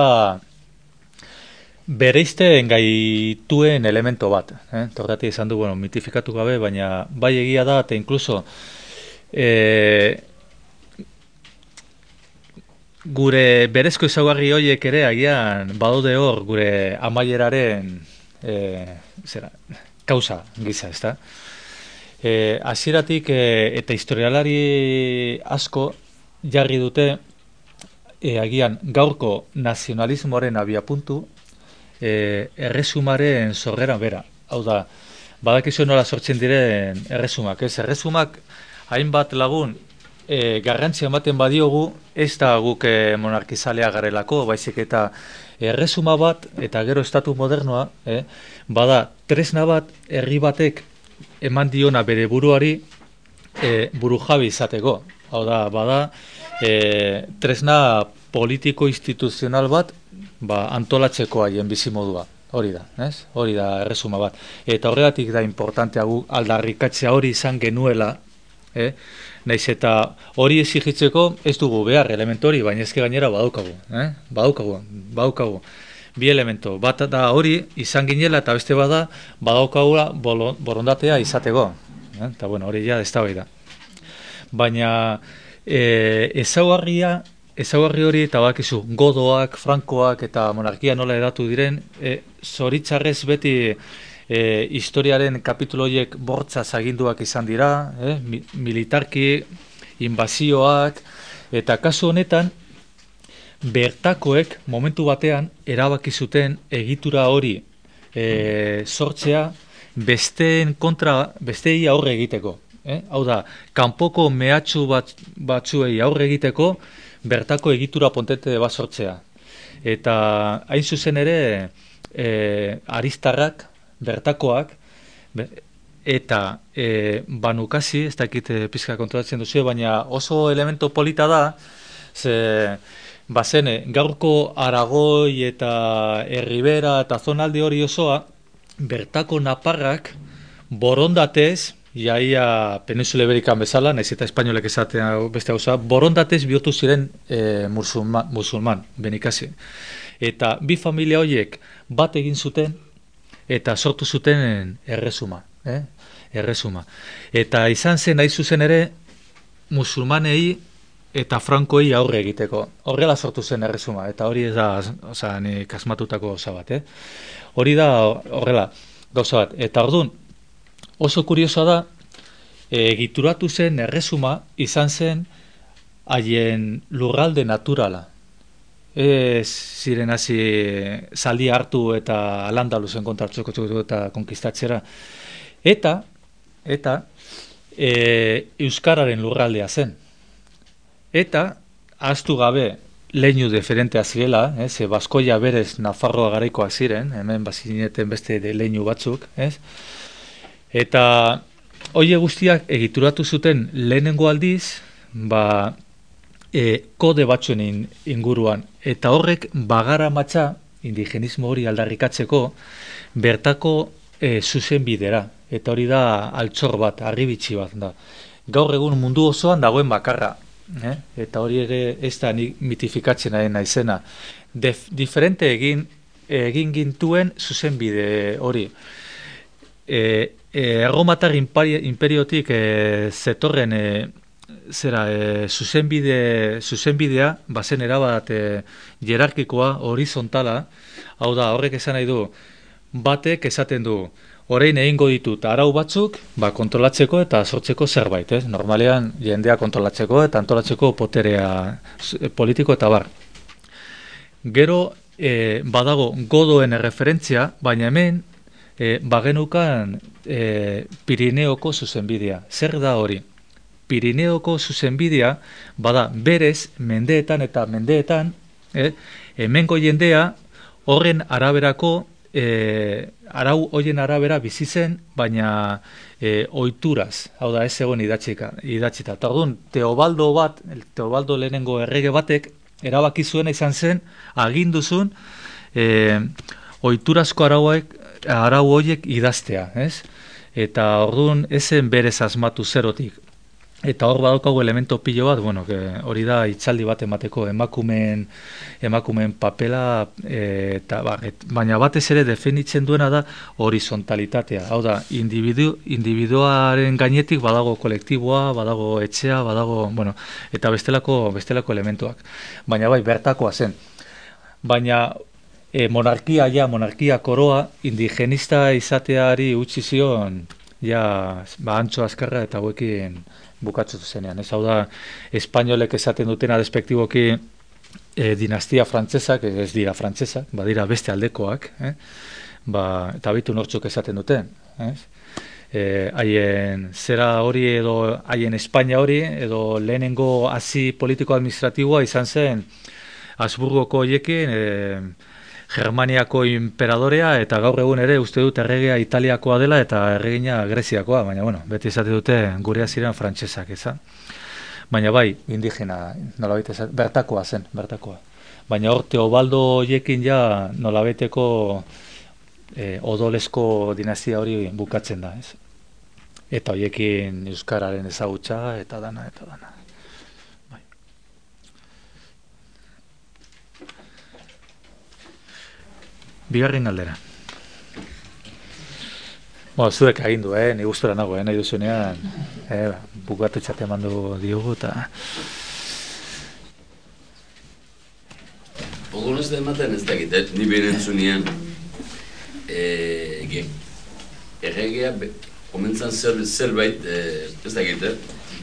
bereizten gaituen elemento bat. Torrati izan du, bueno, mitifikatu gabe, baina bai egia da, eta inkluso gure berezko ezaugarri horiek ere agian badaude hor gure amaieraren kausa gisa, ezta? Hasieratik eta historialari asko jarri dute agian gaurko nazionalismoaren abiapuntu erresumaren sorreran bera. Hau da, badakizu nola sortzen diren erresumak, ez? Erresumak hainbat lagun garrantzia ematen badiogu, ez da guk monarkizalea garelako, baizik eta erresuma bat, eta gero estatu modernoa, bada tresna bat herri batek eman diona bere buruari burujabe izateko. Hau da, bada tresna politiko-instituzional bat antolatzeko haien bizimodua. Hori da, ez? Hori da erresuma bat. Eta horregatik da importantea gu aldarrikatzea hori izan genuela, naiz eta hori exigitzeko ez dugu behar elementu hori, baina ezke gainera badaukagu. Badaukagu. Bi elemento, bat da hori izan ginela eta beste bada badaukagula borondatea izateko. Eta bueno, hori ja ez da hori da. Baina ezaugarri hori eta bakizu godoak, frankoak eta monarkia nola edatu diren, zoritzarrez beti historiaren kapitulo horiek bortzaz aginduak izan dira, militarki, inbazioak, eta kasu honetan, bertakoek momentu batean erabaki zuten egitura hori sortzea besteen kontra, besteei aurre egiteko. Hau da, kanpoko mehatxu batzuei aurre egiteko bertako egitura potente bat sortzea. Eta hain zuzen ere aristarrak, bertakoak, eta banukasi, ez dakit pizka kontrolatzen duzu, baina oso elemento polita da, ze bazene, gaurko Aragoi eta Erribera eta zonalde hori osoa, bertako naparrak borondatez, iaia Peninsula Iberikan bezala, naiz eta espainolek esatea beste gauza, borondatez bihurtu ziren musulman, benikasi. Eta bi familia horiek bat egin zuten, eta sortu zuten erresuma. Eta izan zen nahi zuzen ere musulmanei eta frankoei aurre egiteko. Horrela sortu zen erresuma, eta hori ez da nik asmatutako gauza bat. Hori da horrela gauza bat. Eta orduan, oso kuriosoa da, egituratu zen erresuma izan zen haien lurralde naturala. Ez ziren hasi zaldi hartu eta Al-Andalusen kontartzeko eta konkistatzera. Eta euskararen lurraldea zen. Eta ahaztu gabe leinu diferentea zirela, ze Baskoia berez Nafarroa garaikoak ziren, hemen bazineten beste leinu batzuk, eta hori guztiak egituratu zuten lehenengo aldiz, kode batzuen inguruan, eta horrek bagara matxa, indigenismo hori aldarrikatzeko, bertako zuzen bidera, eta hori da altxor bat, harribitxi bat da. Gaur egun mundu osoan dagoen bakarra, eta hori ere ez da mitifikatzen naizena. Diferente egin gintuen zuzen bide hori. Erromatar imperiotik zetorren zuzenbidea bazen erabat jerarkikoa, horizontala, hau da, horrek esan nahi du, batek esaten du, orain egingo ditut arau batzuk, kontrolatzeko eta sortzeko zerbait, normalean jendea kontrolatzeko eta antolatzeko poterea politiko eta bar. Gero badago godoen erreferentzia, baina hemen bagenukan Pirineoko zuzenbidea. Zer da hori? Pirineoko zuzenbidea bada berez mendeetan eta mendeetan hemengo jendea horren araberako arau hoien arabera bizi zen, baina ohituraz, hau da ez egon idatzita. Eta orduan Teobaldo lehenengo errege batek erabaki zuena izan zen aginduzun ohiturazko arau horiek idaztea, ez? Eta orduan ezen berez asmatu zerotik. Eta hor badaukagu elemento pilo bat, bueno, hori da hitzaldi bat emateko emakumeen papela, baina batez ere definitzen duena da horizontalitatea. Hau da, individuaren gainetik badago kolektiboa, badago etxea, badago, bueno, eta bestelako elementuak. Baina bai, bertakoa zen. Baina monarkia koroa, indigenista izateari utzi zion, Antxo Azkarra eta hauekin bukatzu zenean. Ez hau da, espainolek esaten dutena despektiboki dinastia frantzesak, ez dira frantzesak, badira beste aldekoak, eta bitu nortzuk esaten duten. Haien zera hori edo haien Espainia hori, edo lehenengo hazi politiko-administratiboa izan zen Habsburgoko horiekin, Germaniako imperadorea, eta gaur egun ere uste dut erregea Italiakoa dela eta erregina Greziakoa, baina bueno, beti esate dute gurea ziren frantsesak, ezan. Baina bai, indigena, nolabait bertakoa zen, bertakoa. Baina hor Teobaldo horiekin ja nolabaiteko odolesko dinastia hori bukatzen da, ez? Eta horiekin euskararen ezagutza eta dana. Bigarren galdera. Zuek agindu, ni gustora nago, nahi duzunean, bukatu txate emandu diogu, eta... Ogon ez da ematen ez dakit, ni behin entzunean, erregea, komentzan zerbait, ez dakit,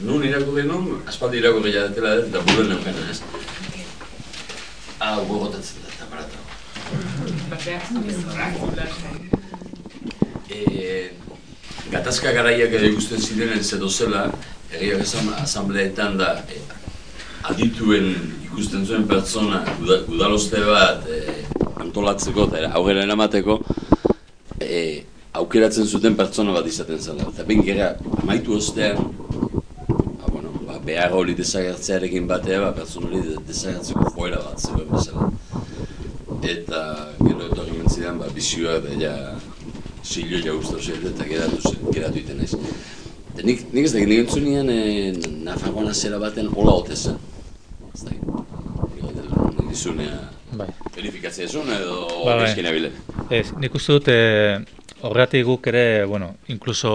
nun irakurri non, aspaldi irakurri jadetela eta buruen neukena, ez? Gogotatzen da, eta baratago. Gatazka garaiak ere ikusten zirenen zedozela, egiak esan asambleetan da adituen ikusten zuen pertsona udaloste bat antolatzeko eta aurrera eramateko aukeratzen zuten pertsona bat izaten zela. Eta behin gera amaitu ostean behar hori desagertzearekin batea pertsona hori desagertzeko joera bat zegoen bezala. Eta gero etorri mentzidan bizioa da zilo jauztau zer eta geratu iten naiz. Nik ez dakit, nik entzunean Nafarroan azera baten hola ote zen. Ez dakit, nik izunea verifikatzea zuen edo eskena bile. Ez, nik uste dut horretik guk ere, inkluso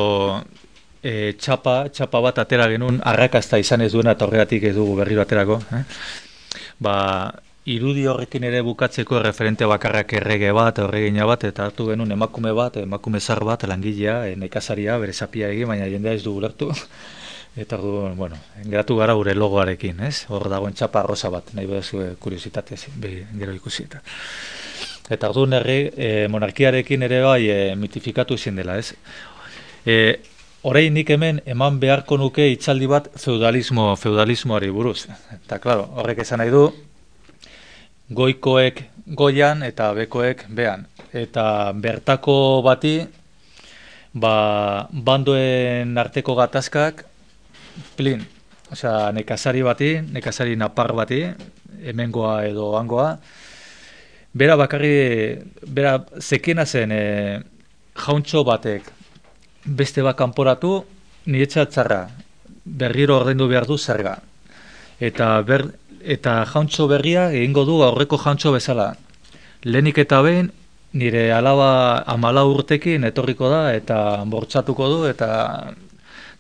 txapa bat atera genuen arrakasta izan ez duena eta horretik ez dugu berriro aterako. Irudi horrekin ere bukatzeko referente bakarrak errege bat, erregina bat, eta hartu genuen emakume zar bat, langilea, nekazaria, bere zapia egin, baina jendea ez dugu lertu. Eta geratu gara gure logoarekin, ez? Hor dagoen txapa rosa bat, nahi bedazu kuriositatez, gero ikusi eta. Eta orduan monarkiarekin ere bai mitifikatu izin dela, ez? Orain nik hemen eman beharko nuke hitzaldi bat feudalismoari buruz. Eta, klaro, horrek esan nahi du, goikoek goian eta bekoek bean. Eta bertako bati, bandoen arteko gatazkak, plin. Osea, nekazari bati, nekazari napar bati, hemengoa edo hangoa, bera zekena zen jauntxo batek beste bat kanporatu, niretzat txarra, berriro ordaindu behar du zerga. Eta jauntxo berria egingo du aurreko jauntxo bezala. Lehenik eta behin, nire alaba 14 urtekin etorriko da eta bortxatuko du eta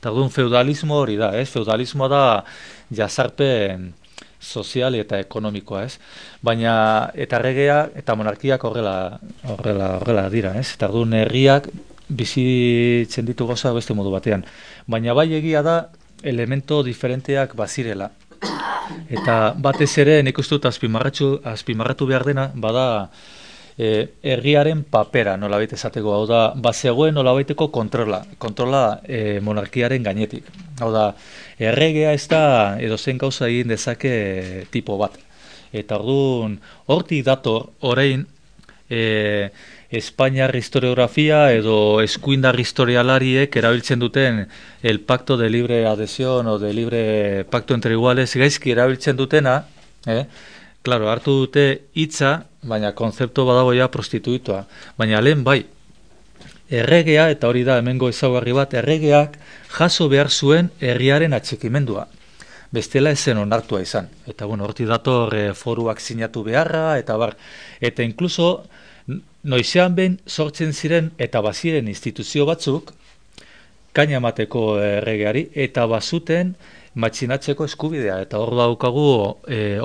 orduan feudalismo hori da, ez? Feudalismoa da jazarpen sozial eta ekonomikoa, ez? Baina eta erregea eta monarkiak horrela dira, ez? Eta orduan herriak bizitzen ditu gauza beste modu batean. Baina bai egia da elemento diferenteak bazirela. Eta batez ere nik uste dut azpimarratu behar dena, bada herriaren papera nolabait esateko, hau da, bazegoen nolabaiteko kontrola monarkiaren gainetik. Hau da, erregea ez da edozein gauza egin dezake tipo bat. Eta orduan, hortik dator orain Espainiar historiografia edo eskuindar historialariek erabiltzen duten el pacto de libre adhesión o de libre pacto entre iguales gaizki erabiltzen dutena, claro, hartu dute hitza, baina konzeptu badago ja prostituitoa. Baina lehen bai, erregea, eta hori da hemengo ezaugarri bat, erregeak jaso behar zuen herriaren atxikimendua. Bestela ezen onartua izan. Eta bueno, hortik dator foruak sinatu beharra, eta bar. Eta inkluso, noizean behin sortzen ziren eta baziren instituzio batzuk, kaina emateko erregeari, eta bazuten matxinatzeko eskubidea, eta hor daukagu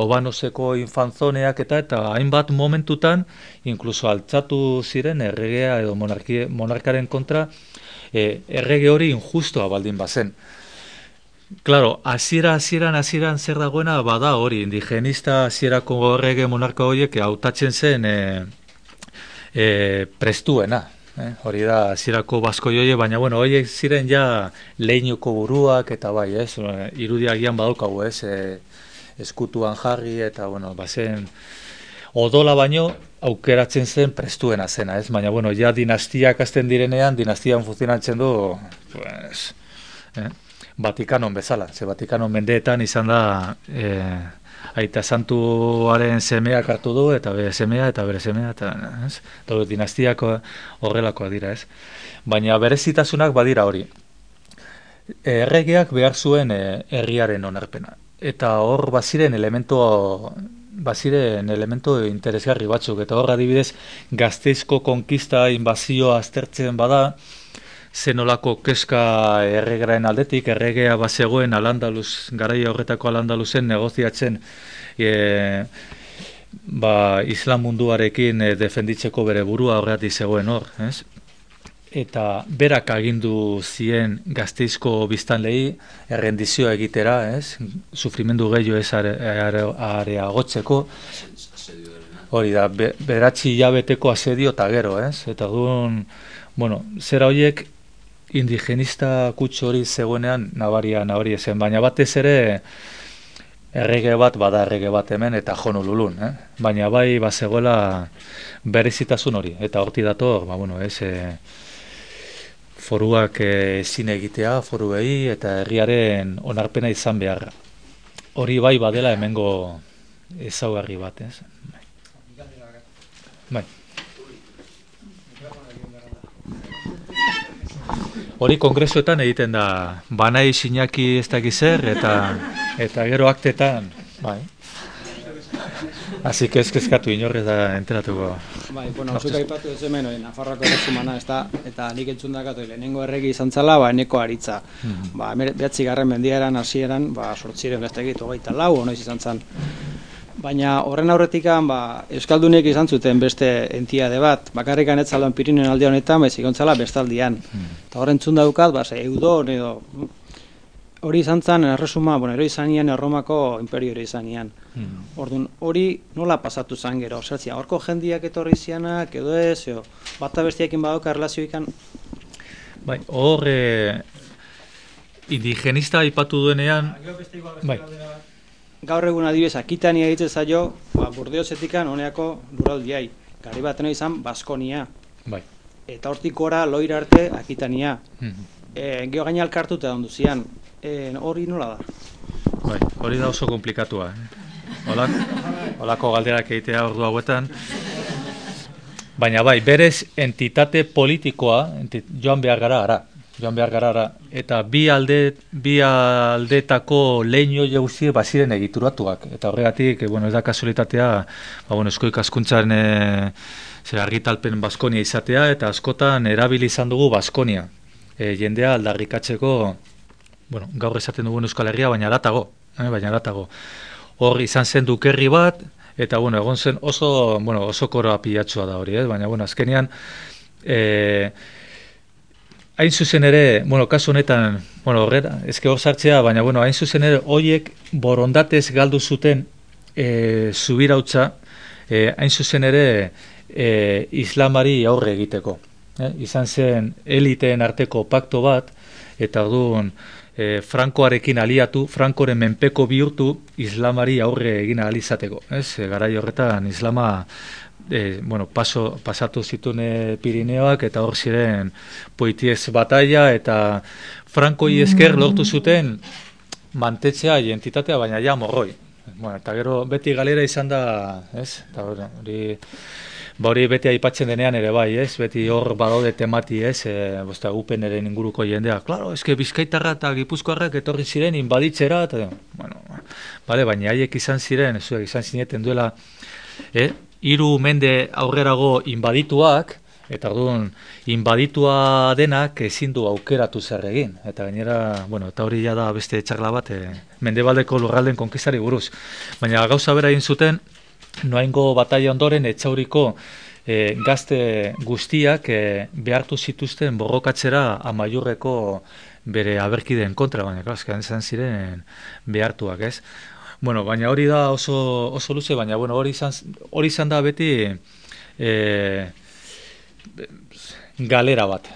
Obanoseko infanzoneak eta hainbat momentutan inkluso altzatu ziren erregea edo monarkaren kontra errege hori injustua baldin bazen. Claro, hasieran zer dagoena bada hori, indigenista hasierako errege monarka horiek hautatzen zen prestuena. Hori da, hasierako baskoi baina bueno, horiek ziren ja leinuko buruak eta bai, irudiagian badaukagu, eskutuan jarri eta bueno, bazen odola baino aukeratzen zen prestuena zena, baina bueno, ja dinastiak hasten direnean, dinastian funtzionatzen du, pues, Vatikanon bezala, Vatikanon mendeetan izan da Aita Santuaren semeak hartu du, eta bere semea, eta bere semea, eta dinastiak horrelakoak dira, Baina berezitasunak badira hori. Erregeak behar zuen herriaren onarpena. Eta hor baziren elemento interesgarri batzuk, eta hor adibidez Gasteizko konkista inbazioa aztertzen bada, zenolako keska erregaren aldetik, erregea bazegoen Al-Andalus, garaia horretako Al-Andalusen negoziatzen islam munduarekin defenditzeko bere burua horretik zegoen hor, Eta berak agindu zien Gasteizko biztanlei errendizioa egitera, sufrimendu gehiago ez areagotzeko, hori da, beratzi hilabeteko asedio eta gero, Eta duen, bueno, zera horiek indigenista kutsu hori zegoenean nabaria zen, baina batez ere errege bat bada errege bat hemen eta Honolulun, baina bai bazegoela berezitasun hori, eta hortik dator, foruak ezin egitea, foruei eta herriaren onarpena izan beharra. Hori bai badela hemengo ezaugarri bat, Bai. Hori kongresuetan egiten da, banai sinaki ez dakiz zer, eta gero aktetan, bai. Así que eskatu inorrez da enteratuko. Bai, bueno, zuk aipatu ez hemen, Nafarroako erresumana, eta nik entzun dakatu, lehenengo erregi izan zala, eneko aritza. 9. mendiaran, hasieran, 824, noiz izan zan. Baina horren aurretikan, Euskaldunek izan zuten beste entiade bat, bakarrikan ez zaldoan Pirinioen alde honetan, baizik ontzala bestaldian. Eta horren entzun daukat, Eudon edo... Hori izan zen, erresuma, ero izan nian, Erromako imperio ero izan nian. Orduan, hori nola pasatu zen gero? Zertzia, horko jendiak etorri zianak, edo ez, bata bestiakin badauka erlazioikan? Bai, hor, indigenista aipatu duenean... Bai. Gaur egun adibidez, Akitania egiten zaio, Burdeosetikan honeako lurraldiai. Gari baten izan, Baskonia. Bai. Eta hortik gora, loira arte, Akitania. Geo gaina alkartuta ondu zian. Hori nola da? Bai, hori da oso komplikatua. Holako galderak egitea ordu hauetan. Baina bai, berez entitate politikoa joan behar gara. Eta bi aldetako leino jauzi baziren egituratuak. Eta horregatik, ez da kasualitatea, esko ikaskuntzaren argitalpen Baskonia izatea, eta askotan erabili izan dugu Baskonia. Jendea aldarrikatzeko, gaur esaten dugun Euskal Herria, baina aratago. Hor izan zen dukerri bat, eta egon zen oso koroa pilatsua da hori, baina azkenean, hain zuzen ere, kasu honetan, Bueno, horrela, ezke hor sartzea, baina, bueno, hain zuzen ere, hoiek borondatez galdu zuten zubirautza, hain zuzen ere, islamari aurre egiteko. Izan zen eliteen arteko pakto bat, eta orduan Frankoarekin aliatu, Frankoren menpeko bihurtu islamari aurre egin ahal izateko. Garai horretan islama pasatu zituen Pirineoak, eta hor ziren Poitiers bataila, eta Frankoi esker lortu zuten mantetzea identitatea, baina ja morroi. Eta gero beti galera izan da, eta hori beti aipatzen denean ere bai, beti hor badaude temati, Upeneren inguruko jendea, klaro, Bizkaitarra eta Gipuzkoarrak etorri ziren inbaditzera, eta, baina haiek izan ziren, izan zineten duela, 3 mende aurrerago inbadituak, eta orduan inbaditua denak ezin du aukeratu zer egin. Eta gainera, eta hori ja da beste txarla bat, mendebaldeko lurralden konkistari buruz. Baina gauza bera egin zuten, Noaingo bataila ondoren Etxauriko gazte guztiak behartu zituzten borrokatzera Amaiurreko bere aberkideen kontra, baina klaskan izan ziren behartuak, baina hori da oso luze, baina hori izan da beti galera bat.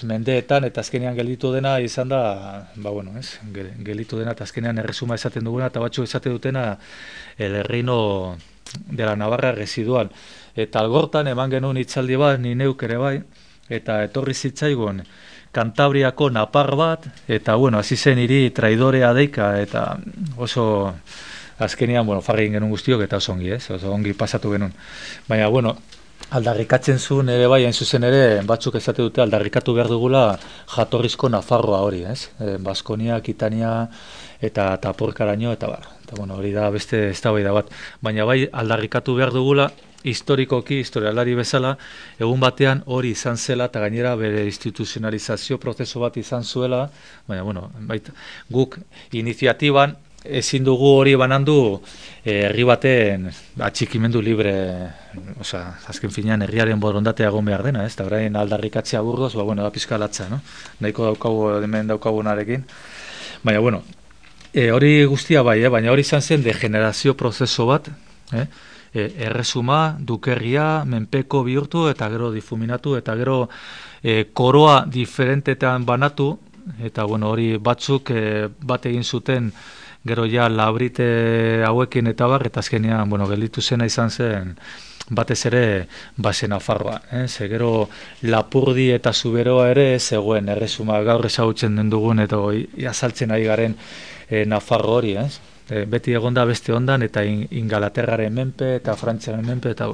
Mendeetan eta azkenean gelditu dena izan da, gelditu dena eta azkenean erresuma esaten duguna eta batzuk esate dutena el reino de la Navarra residual. Eta algortan eman genuen hitzaldi bat, ni neuk ere bai, eta etorri zitzaigun Kantabriako napar bat, eta hasi zen hiri traidorea deika, eta oso azkenean, farri egin genuen guztiok, eta oso ongi, oso ongi pasatu genuen. Baina, aldarrikatzen zuen ere bai, hain zuzen ere, batzuk esate dute aldarrikatu behar dugula jatorrizko Nafarroa hori, Baskonia, Akitania eta Porkaraino, eta bar. Eta hori da beste eztabaida bat. Baina bai aldarrikatu behar dugula, historikoki, historialari bezala, egun batean hori izan zela eta gainera bere instituzionalizazio prozesu bat izan zuela, baina guk iniziatiban ezin dugu hori banandu herri baten atxikimendu libre, azken finean herriaren borondatea egon behar dena, eta orain aldarrikatzea burgoz, da pizkalatza, nahiko daukagu hemen daukagunarekin, baina hori guztia bai, baina hori izan zen degenerazio prozeso bat, erresuma, dukerria, menpeko bihurtu, eta gero difuminatu, eta gero koroa diferentetan banatu, eta hori batzuk bat egin zuten gero ja labrite hauekin eta bar, eta azkenean, gelditu zena izan zen batez ere base Nafarroa. Gero Lapurdi eta Zuberoa ere zegoen erresuma gaur ezagutzen den dugun eta azaltzen ari garen Nafarro hori, beti egonda beste ondan eta Ingalaterraren menpe eta Frantziaren menpe eta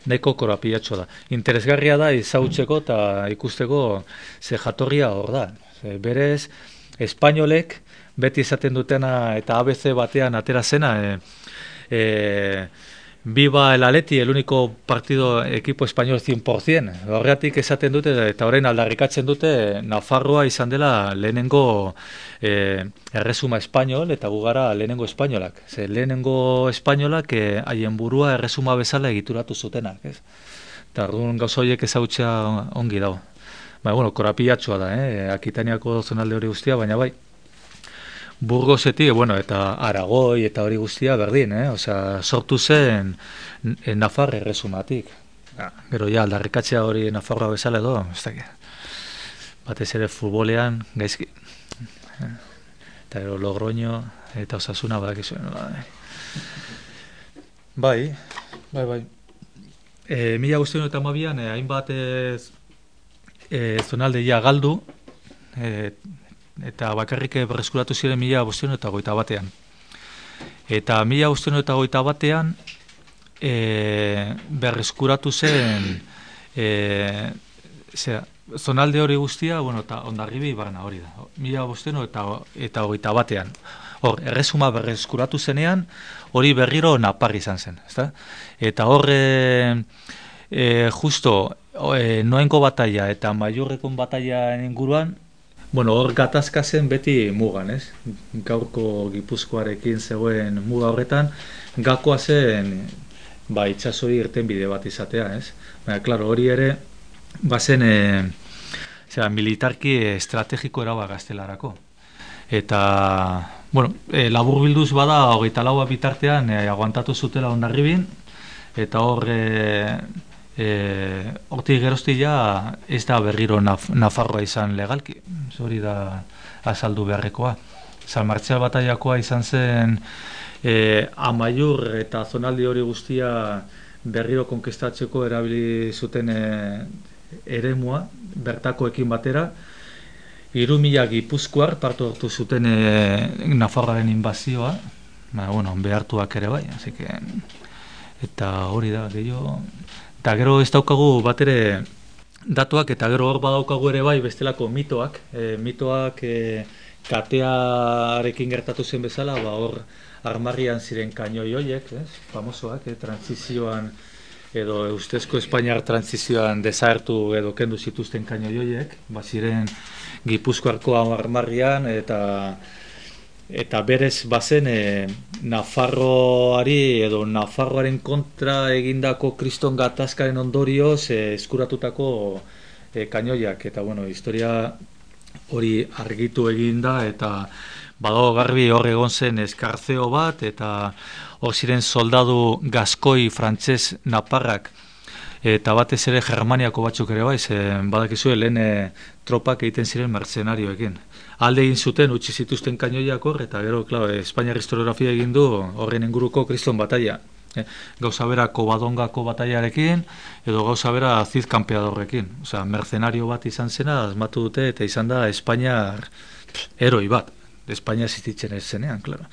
nahiko korapilatxo da. Interesgarria da ezagutzeko eta ikusteko ze jatorria hor da. Berez, espainolek beti esaten dutena eta ABC batean atera zena, Viva el Atleti, el único partido equipo español 100%. Horregatik esaten dute eta orain aldarrikatzen dute Nafarroa izan dela lehenengo erresuma espainol eta gugara lehenengo espainolak. Lehenengo espainolak haien burua erresuma bezala egituratu zutenak. Eta orduan gauza horiek ezagutzea ongi dago. Korapilatxoa da, Akitaniako zonalde hori guztia, baina bai. Burgosetik, eta Aragoi eta hori guztia berdin, sortu zen Nafar erresumatik. Gero ja, aldarrikatzea hori Nafarroa bezala edo, ez dakit. Batez ere futbolean, gaizki. Eta gero Logroño eta Osasuna badakizu. Bai. 1912an hainbat zonaldeia galdu, eta bakarrik berreskuratu ziren 1521an. Eta 1521an berreskuratu zen zonalde hori guztia, eta Hondarribi barna hori da. 1521an. Hor, erresuma berreskuratu zenean, hori berriro Napar izan zen. Eta hor, justo, Noaingo bataila eta Amaiurrekon bataila inguruan, hor gatazka zen beti mugan, gaurko Gipuzkoarekin zegoen muga horretan, gakoa zen itsasori irtenbide bat izatea, baina, klaro, hori ere, bazen zera, militarki estrategiko eraba gaztelarako. Eta, bueno, laburbilduz bada, 24 bitartean aguantatu zutela Hondarribin, eta hor, hortik geroztia ez da berriro Nafarroa izan legalki, hori da azaldu beharrekoa. San Martzial bataiakoa izan zen Amaiur eta zonaldi hori guztia berriro konkistatzeko erabili zuten eremua, bertakoekin batera, 3.000 gipuzkoar partu hartu zuten Nafarroaren inbazioa, bueno, behartuak ere bai, así que, eta hori da, gehiago, eta gero ez daukagu bat ere datuak, eta gero hor badaukagu ere bai bestelako mitoak, katearekin gertatu zen bezala, hor armarrian ziren kainoi hoiek, famosoak, transizioan, edo ustezko Espainiar transizioan desagertu edo kendu zituzten kainoi hoiek, ziren Gipuzkoarko armarrian, eta berez bazen Nafarroari edo Nafarroaren kontra egindako kriston gatazkaren ondorioz eskuratutako kainoiak, eta bueno, historia hori argitu eginda, eta badago garbi hor egon zen eskartzeo bat, eta hor ziren soldadu gaskoi frantses naparrak, eta batez ere Germaniako batzuk ere bai, badakizue lehen tropak egiten ziren mercenarioekin. Alde egin zuten, utzi zituzten kainoiak hor, eta gero, Espainiar historiografia egin du horren inguruko kriston bataia. Gauza bera Covadongako bataiarekin, edo gauza bera Cid Campeadorrekin. Osea, mercenario bat izan zena, asmatu dute, eta izan da Espainiar heroi bat. Espainia existitzen ez zenean, claro.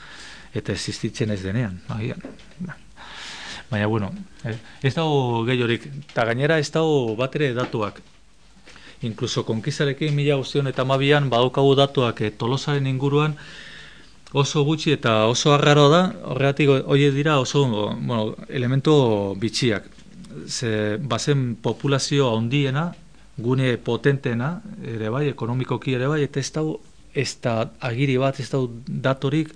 Eta existitzen ez denean, agian. Baina, bueno, ez dago gehiorik, eta gainera ez dago bat ere datuak. Inkluso konkistarekin 1912an badaukagu datuak Tolosaren inguruan oso gutxi eta oso arraroa da, horregatik horiek dira oso elemento bitxiak. Bazen populazio handiena, gune potentena, ere bai, ekonomikoki ere bai, eta ez da agiri bat, ez da datorik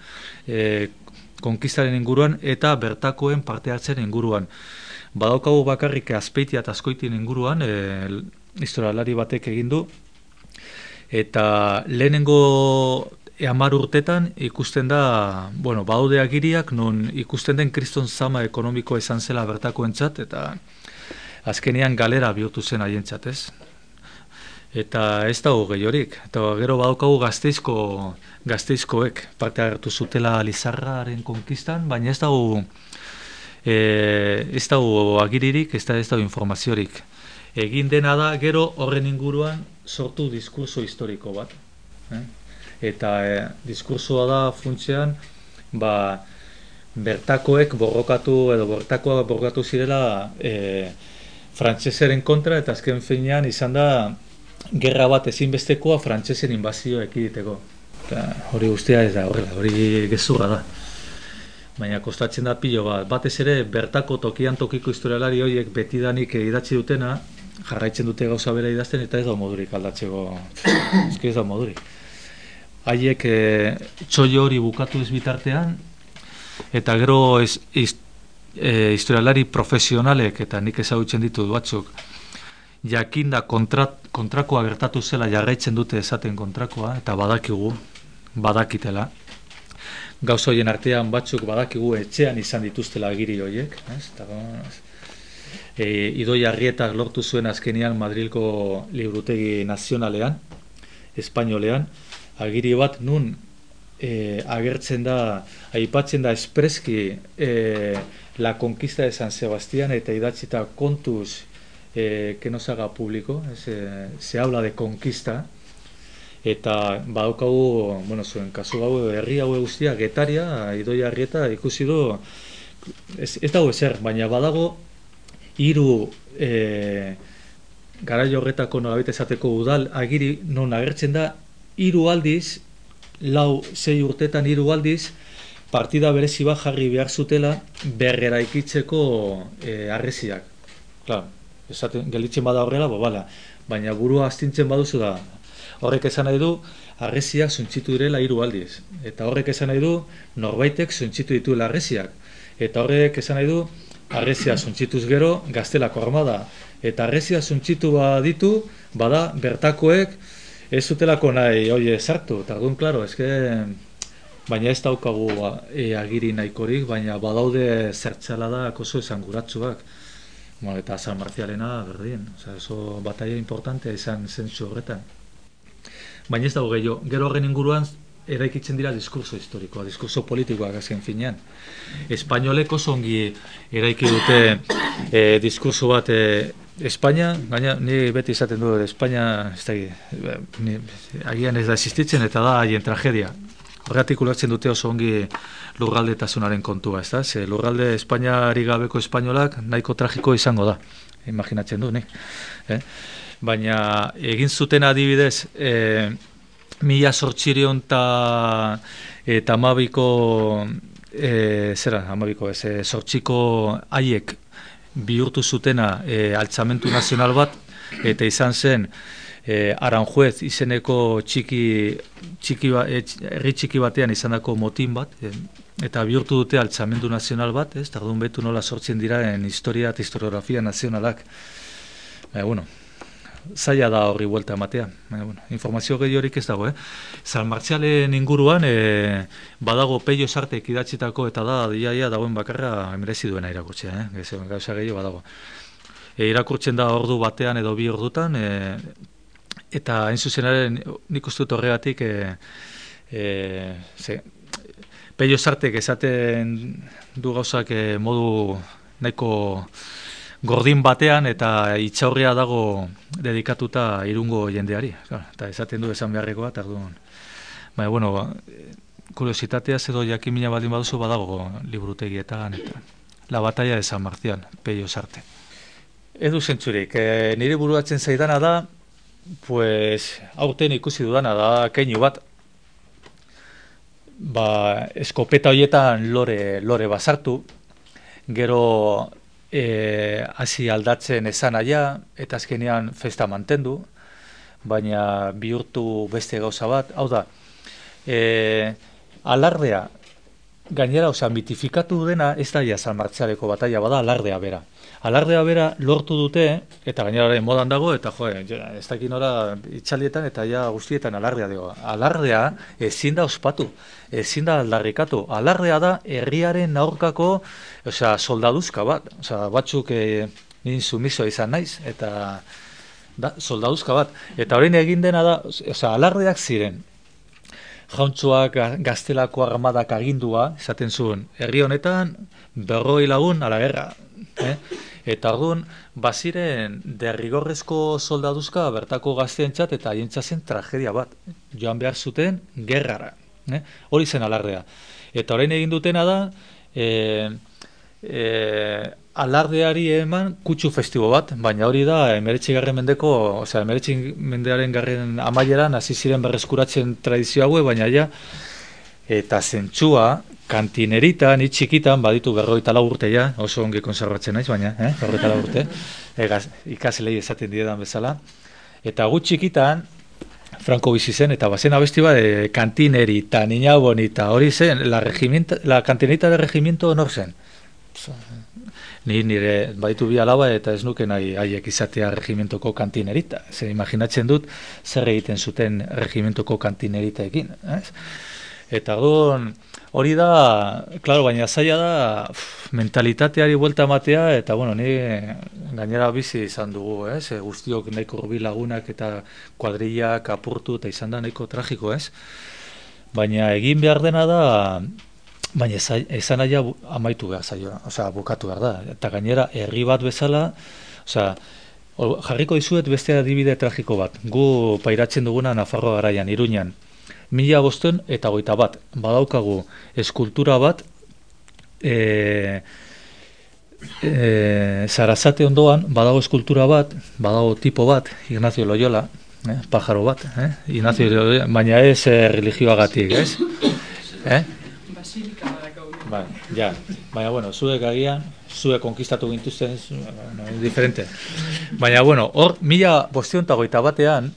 konkistaren inguruan eta bertakoen parte hartzen inguruan. Badaukagu bakarrik Azpeitia eta Azkoitien inguruan, historialari batek egin du, eta lehenengo 10 urtetan ikusten da, badaude agiriak non ikusten den kriston zama ekonomikoa izan zela bertakoentzat, eta azkenean galera bihurtu zen haientzat, ez? Eta ez dago gehiorik, eta gero badaukagu Gasteizkoek parte hartu zutela Lizarraren konkistan, baina ez dago agiririk, ez dago informaziorik. Egin dena da, gero horren inguruan sortu diskurso historiko bat. Eta diskursoa da funtsean, bertakoek borrokatu zirela frantseseren kontra, eta azken finean izan da gerra bat ezinbestekoa frantsesen inbazioa ekiditeko. Hori guztia ez da horrela, hori gezurra da. Baina kostatzen da pilo bat. Batez ere bertako tokiko historialari horiek betidanik idatzi dutena, jarraitzen dute gauza bera idazten, eta ez da modurik aldatzeko. Ez da modurik. Haiek txollo hori bukatu ez bitartean, eta gero historialari profesionalek, eta nik ezagutzen ditut batzuk, jakinda kontrakoa gertatu zela jarraitzen dute esaten kontrakoa, eta badakitela. Gauza horien artean batzuk badakigu etxean izan dituztela agiri horiek. Idoia Arrietak lortu zuen azkenean Madrilko Liburutegi Nazionalean, Espainolean, agiri bat nun agertzen da, aipatzen da espreski la conquista de San Sebastián, eta idatzita kontuz que no se haga público, se habla de conquista, eta badaukagu, zuen kasu hau herri hau guztia, Getaria, Idoia Arrieta ikusi du, ez dago ezer, baina badago 3 garai horretako nolabait esateko udal agiri non agertzen da 3 aldiz, 4-6 urtetan 3 aldiz, partida berezi bat jarri behar zutela berreraikitzeko harresiak. Claro, gelditzen bada horrela, baina burua astintzen baduzu da, horrek esan nahi du, harresiak suntzitu direla 3 aldiz. Eta horrek esan nahi du, norbaitek suntzitu dituela harresiak. Eta horrek esan nahi du, harresiak suntzituz gero, Gaztelako armada. Eta harresiak suntzitu baditu, bada, bertakoek ez zutelako nahi, oie, sartu, eta orduan, klaro, baina ez daukagu agiri nahikorik, baina badaude zertxaladak oso esanguratsuak. Bueno, eta San Marcialena berdin, oso bataia importantea izan zentzu horretan. Baina ez dago gehiago, gero horren inguruan eraikitzen dira diskurso historikoa, diskurso politikoak azken finean. Espainolek oso ongi eraiki dute diskurso bat Espainia, gaina ni beti izaten du Espainia, agian ez da existitzen eta da haien tragedia. Horregatik ulertzen dute oso ongi lurraldetasunaren kontua, ez da? Ze lurralde Espainiari gabeko espainolak nahiko tragiko izango da, imaginatzen du, nik. Baina egin zuten adibidez, 1812ko haiek bihurtu zutena altzamentu nazional bat, eta izan zen Aranjuez izeneko herri txiki batean izandako motin bat, eta bihurtu dute altzamendu nazional bat, ez? Tardun betu nola sortzen diraren historia eta historiografia nazionalak. Bueno, zaila da horri buelta ematea. Informazio gehiorik ez dago, San Martzialen inguruan badago Peio Sartek idatzitako eta da diaia dagoen bakarra merezi duena irakurtzea, gauza gehiago badago. Irakurtzen da ordu batean edo 2 ordutan, eta hain zuzenaren nik uste dut horregatik Peio Sartek esaten du gauzak modu nahiko gordin batean eta itxaurria dago dedikatuta Irungo jendeari. Eta esaten du esan beharrekoa, eta orduan. Baina, bueno, kuriositateaz edo jakimina baldin baduzu badago liburutegietan eta La batalla de San Marcial, Peio Sarte. Edu zentzurik, nire buruatzen zaidana da, pues, aurten ikusi dudana da keinu bat. Eskopeta horietan lore bazartu, gero hasi aldatzen esan aia, eta azkenean festa mantendu, baina bihurtu beste gauza bat. Hau da, alardea, gainera, mitifikatu dena, ez da ja San Martzialeko bataia bada, alardea bera. Alardea bera lortu dute, eta gainera modan dago, eta ez dakin ora itxalietan eta ja guztietan alardea dugu. Alardea ezin da ospatu, ezin da aldarrikatu. Alardea da herriaren aurkako soldaduzka bat. Batzuk nin sumiso izan naiz, eta soldaduzka bat. Eta horrein egin dena da, alardeak ziren. Jauntxoak Gaztelako armadak agindua, esaten zuen, herri honetan 40 lagun a la guerra. Eta orduan, baziren derrigorrezko soldaduzka bertako gazteentzat eta haientzatzen tragedia bat. Joan behar zuten gerrara. Hori zen alardea. Eta orain egin dutena da, alardeari eman kutsu festibo bat, baina hori da 19. mendeko, 19. mendearen garren amaieran hasi ziren berreskuratzen tradizio haue, baina ja, eta zentzua, kantinerita, ni txikitan, baditu 44 urte ja, oso ongi konservatzen naiz, baina, 44 urte, ikaslei esaten diedan bezala, eta gu txikitan, Franco bizi zen, eta bazen abesti bat, kantinerita, niña bonita, hori zen, la kantinerita de regimiento nor zen. Nire baditu bi alaba eta ez nuke nahi haiek izatea regimentoko kantinerita. Zer imaginatzen dut zer egiten zuten regimentoko kantineritaekin. Eta hori da, klaro, baina zaila da mentalitateari buelta ematea, eta bueno, ni gainera bizi izan dugu, guztiok nahiko hurbil lagunak eta kuadrillak apurtu eta izan da nahiko tragiko, baina egin behar dena da, baina esan aia amaitu behar zaio, bukatu behar da. Eta gainera, herri bat bezala, jarriko dizuet beste adibide tragiko bat. Gu pairatzen duguna Nafarroa garaian, Iruñan. 1521, badaukagu eskultura bat, Sarasate ondoan, badago eskultura bat, badago tipo bat, Ignacio Loyola, pajaro bat, Ignacio Loyola, baina ez religioagatik, ez? Baina, bueno, zuek agian, zuek konkistatu gintuzten, diferente. Baina, bueno, hor, 1521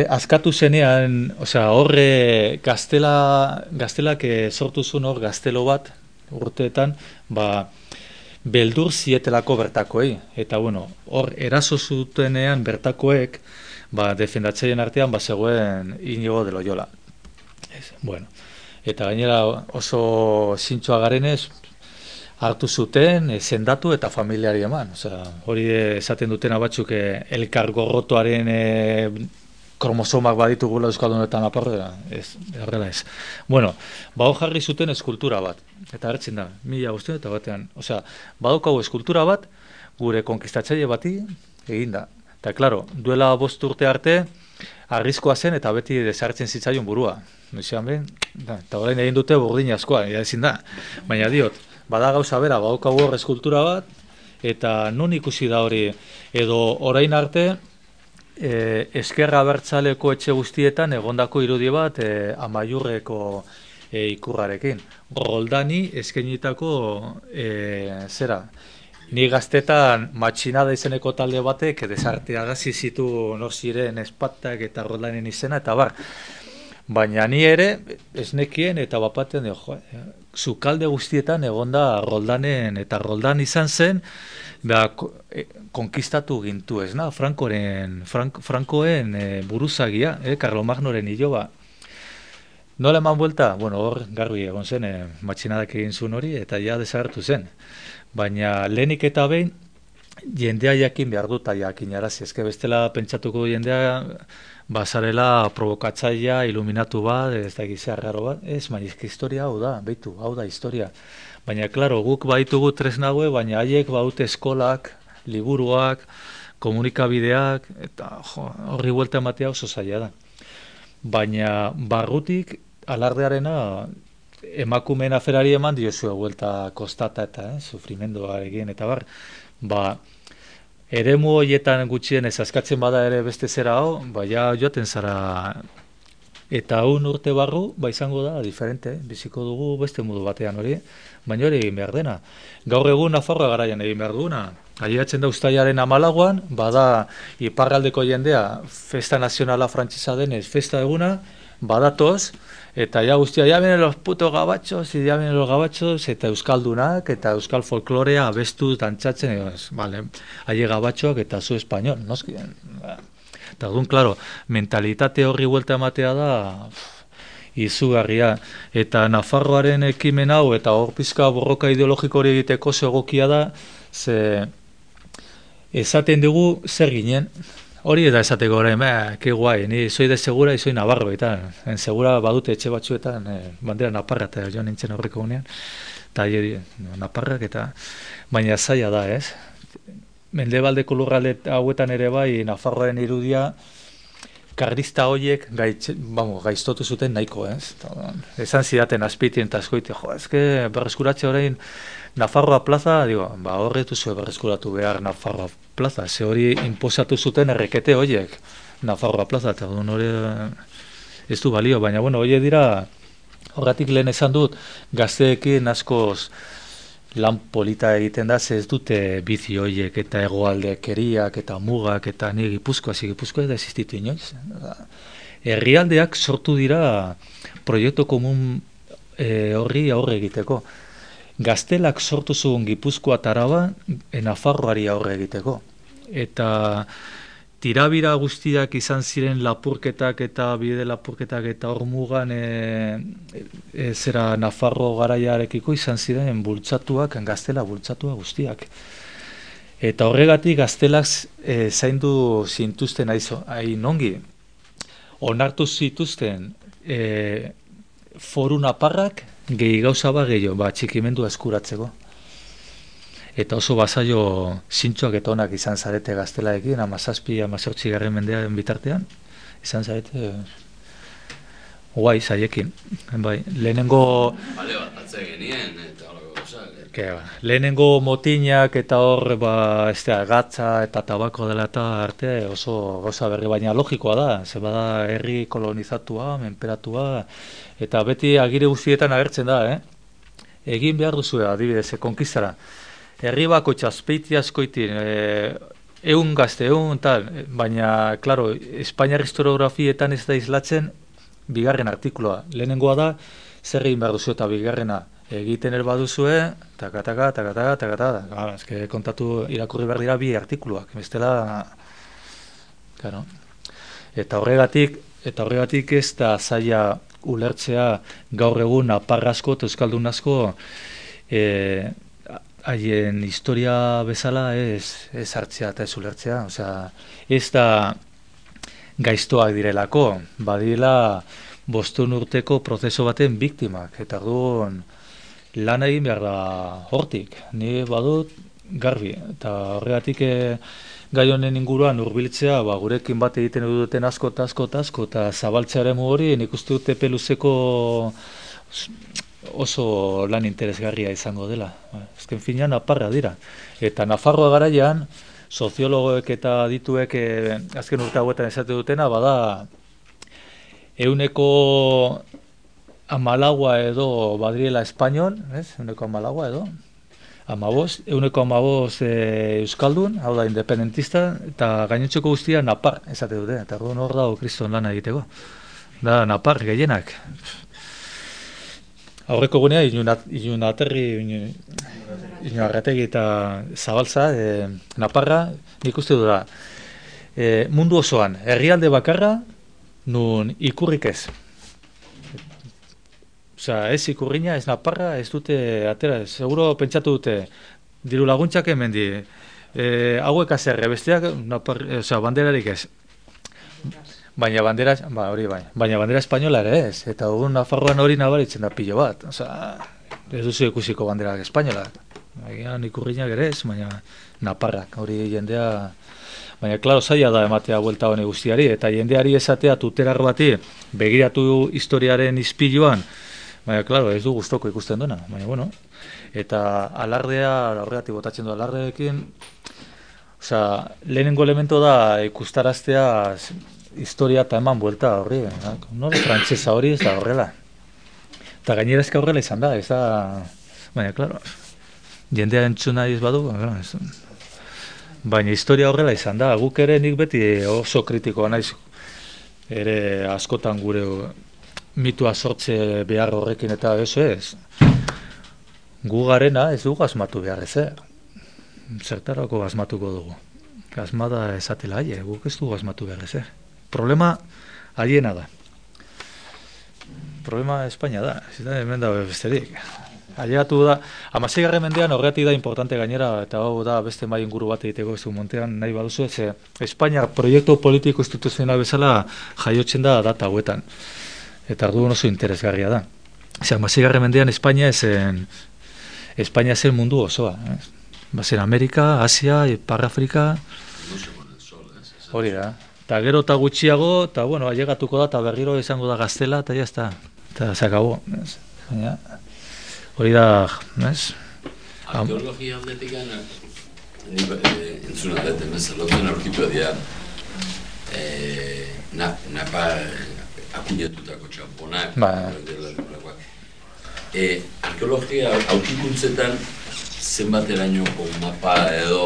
askatu zenean, horre gaztelak sortu zuen hor gaztelo bat urteetan, beldur zietelako bertakoei. Eta, bueno, hor eraso zutenean bertakoek, defendatzaileen artean, zegoen Inigo de Loyola. Bueno, eta gainera oso zintzoa garenez, hartu zuten, sendatu eta familiari eman. Osea, hori esaten dutena batzuk elkar gorrotoaren kromosomak baditugula Euskaldunetan aparra, horrela ez. Bueno, jarri zuten eskultura bat, eta hartzen da, 1501 osea, badaukagu eskultura bat, gure konkistatzaile bati eginda. Eta, klaro, duela 5 urte arte, arriskoa zen eta beti desartzen zitzaion burua. Noizean behin, eta orain egin dute burdin askoa, ezin da. Baina diot, bada gauza bera, badaukagu hor eskultura bat, eta non ikusi da hori, edo orain arte, Ezkerra Abertzaleko etxe guztietan egondako irudi bat Amaiurreko ikurrarekin. Roldani eskainitako zera. Ni gaztetan matxinada izeneko talde batek desarteagazi zitu nor ziren Espatak eta Roldanen izena eta bar. Baina ni ere ez nekien eta bapaten zukalde guztietan egonda Roldanen eta Roldan izan zen konkistatu gintu ez, Frankoen buruzagia, Karlomagnoren iloba. Nola eman buelta? Bueno, hor garbi egon zen, matxinadak egin zuen hori, eta ja desagertu zen. Baina lehenik eta behin, jendea jakin behar dut, jakin arazi. Ezke bestela pentsatuko jendea, bazarela provokatzaia, iluminatu bat, ez da egizea raro bat. Ez, baina historia hau da, beitu, hau da historia. Baina, klaro, guk baitugu tresnague, baina haiek baute eskolak, liburuak, komunikabideak, eta horri buelta ematea oso zaila da. Baina barrutik alardearena emakumeen aferari eman diozue buelta kostata eta sufrimenduarekin eta bar. Eremu horietan gutxien ez askatzen bada ere beste zera hau, ja joaten zara eta urte barru, izango da diferente, biziko dugu beste modu batean hori, baina hori egin behar dena. Gaur egun Nafarroa garaian egin behar duguna. Ailegatzen da uztailaren 14, bada iparraldeko jendea festa nazionala frantsesa denez festa eguna, badatoz, eta ja guztia, ya vienen los putos gabachos, eta euskaldunak, eta euskal folklorea abestu dantzatzen, haie gabatxoak eta zu espainol, noski. Eta dugun, klaro, mentalitate horri buelta ematea da izugarria. Eta Nafarroaren ekimen hau, eta hor pizka borroka ideologiko hori egiteko egokia da, ze esaten dugu zer ginen. Hori eta esateko orain, ke guai, ni soy de Segura y soy Navarro, eta Segura badute etxe batzuetan, bandera naparra eta joan nintzen horreko gunean, eta naparrak eta, baina zaila da, ez? Mendebaldeko lurralde hauetan ere bai, Nafarroaren irudia, karlista horiek gaiztotu zuten nahiko, ez? Esan zidaten azpitien eta askoite, ezke berreskuratze orain Nafarroa plaza, horretu zuen berreskuratu behar Nafarroa plaza, ze hori inposatu zuten errekete horiek Nafarroa plaza, eta hori ez du balio, baina horiek dira, horretik lehen esan dut, gazteekin askoz lan polita egiten da, ze ez dute bizi horiek eta hegoaldekeriak eta mugak eta ni Gipuzkoa ez da existitu inoiz. Herrialdeak sortu dira proiektu komun horri aurre egiteko. Gaztelak sortu zuen Gipuzkoa eta Araba Nafarroari aurre egiteko. Eta tirabira guztiak izan ziren lapurketak eta bide lapurketak eta hor mugan zera Nafarro garaiarekiko izan ziren bultzatuak, gaztela bultzatua guztiak. Eta horregatik gaztelak zaindu zintuzten hain ongi. Onartu zituzten foru naparrak gehi gauza bat gehiago, txikimendua eskuratzeko. Eta oso basaio zintxoak eta onak izan zarete gaztelaekin, 17-18 mendearen bitartean, izan zarete guai zaiekin. Lehenengo lehenengo motinak eta hor gatza eta tabako dela eta arte oso gauza berri, baina logikoa da, ze bada herri kolonizatua, menperatua, eta beti agire guztietan agertzen da, egin behar duzu adibidez, konkistara. Herri bako txazpeiti askoitin, egun gazte, tal, baina, klaro, Espainiar historiografietan ez da islatzen bigarren artikuloa. Lehenengoa da, zer egin behar duzu eta bigarrena, egiten baduzue, eske kontatu irakurri behar dira bi artikuluak, bestela, claro. Eta horregatik ez da zaila ulertzea gaur egun napar asko eta euskaldun asko haien historia bezala ez hartzea eta ez ulertzea, osea, ez da gaiztoak direlako, badila 5 urteko prozeso baten biktimak, eta orduan lan egin behar da hortik, ni badut garbi, eta horregatik gai honen inguruan hurbiltzea, gurekin bat egiten duten asko eta zabaltzearen hori nik uste dut epe luzeko oso lan interesgarria izango dela. Azken finean naparra dira. Eta Nafarroa garaian, soziologoek eta adituek azken urte hauetan esate dutena, bada 114 edo badriela espainol, 114 edo, 115 euskaldun, hau da independentista, eta gainontzeko guztia napar esate dute, eta hor dago kriston lana egiteko. Da napar gehienak. Aurreko gunea, Iñuarrategi eta Zabaltza, naparra, nik uste du da, mundu osoan, herrialde bakarra, nun ikurrik ez. Osea, ez ikurriña, ez naparra, ez dute atera, seguro pentsatu dute, diru laguntzak hemen di, hauek azerre, besteak, osea, banderarik ez. Baina bandera, baina bandera espainola ere ez, eta dugun Nafarroan hori nabaritzen da pilo bat, osea, ez duzu ikusiko banderak espainolak. Baina ikurriñak ere ez, baina naparrak, hori jendea. Baina, klaro, zaila da ematea buelta honi guztiari, eta jendeari esatea tuterar bati begiratu historiaren izpiluan, baina, klaro, ez du gustoko ikusten duena, baina, bueno, eta alardea, horregatik botatzen du alardeekin, osea, lehenengo elemento da ikustaraztea historia eta eman buelta horri, nore frantsesa hori ez da horrela. Eta gainera ezka horrela izan da, ez da, baina, klaro, jendea entzuna ez badu, baina historia horrela izan da, guk ere nik beti oso kritikoa naiz, ere askotan gure mitua sortze behar horrekin eta ez. Gu garena ez dugu asmatu behar ezer. Zertarako asmatuko dugu. Asmada esatela haie, guk ez dugu asmatu behar ezer. Problema haiena da. Problema Espainia da, ez da hemen da besterik. Ailegatu da, 16. mendean horretik da importante gainera, eta hau da beste mai inguru bat egiteko ez du montean nahi baduzu, ez Espainia proiektu politiko instituzional bezala jaiotzen da data hauetan. Eta orduan oso interesgarria da. 16. mendean Espainia zen mundu osoa. Bazen Amerika, Asia, Ipar Afrika, hori da. Eta gero eta gutxiago, eta bueno, ailegatuko da, eta berriro izango da Gaztela, eta jazta. Eta zakabo. Hori da, ez? Arkeologia aldetik gana, entzuna dut, lotzen aurkitu dira, napa akuñatutako txamponak, arkeologia aurkikuntzetan zenbaterainoko mapa edo,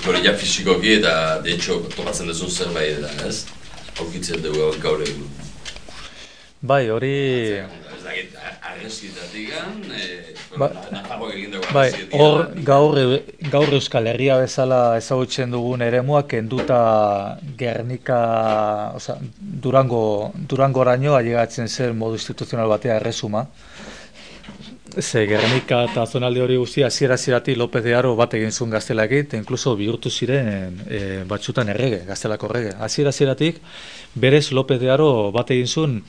hori ja fizikoki eta, de hecho, topatzen duzun zerbait da, ez? Aurkitzen dugu gaur egun. Bai, hori... Bai, hor gaur Euskal Herria bezala ezagutzen dugun eremuak kenduta Gernika, Durangoraino ailegatzen zen modu instituzional batea erresuma. Ze Gernika eta zonalde hori guztia hasiera-hasieratik López de Haro bat egin zuen Gaztelarekin, eta inkluso bihurtu ziren batzutan errege, Gaztelako errege. Hasiera-hasieratik berez López de Haro bat egin zuen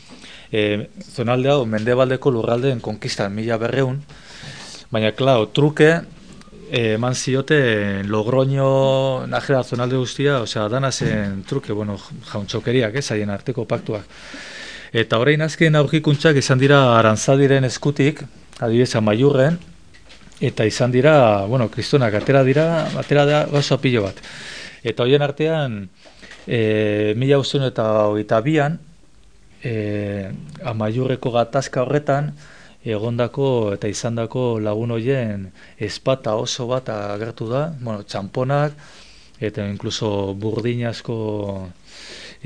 zonalde hau mendebaldeko lurraldeen konkistan 1100, baina klar, truke eman zioten Logroño najera zonalde guztia, osea, dana zen truke, bueno, jauntxokeriak, haien arteko paktuak. Eta orain azken aurkikuntzak izan dira Arantzadiren eskutik, adibidez Amaiurren, eta izan dira, bueno, kristonak atera da gauza pilo bat. Eta horien artean, 1922an, Amaiurreko gatazka horretan, egondako eta izandako lagun horien ezpata oso bat agertu da, bueno, txamponak, eta inkluso burdinazko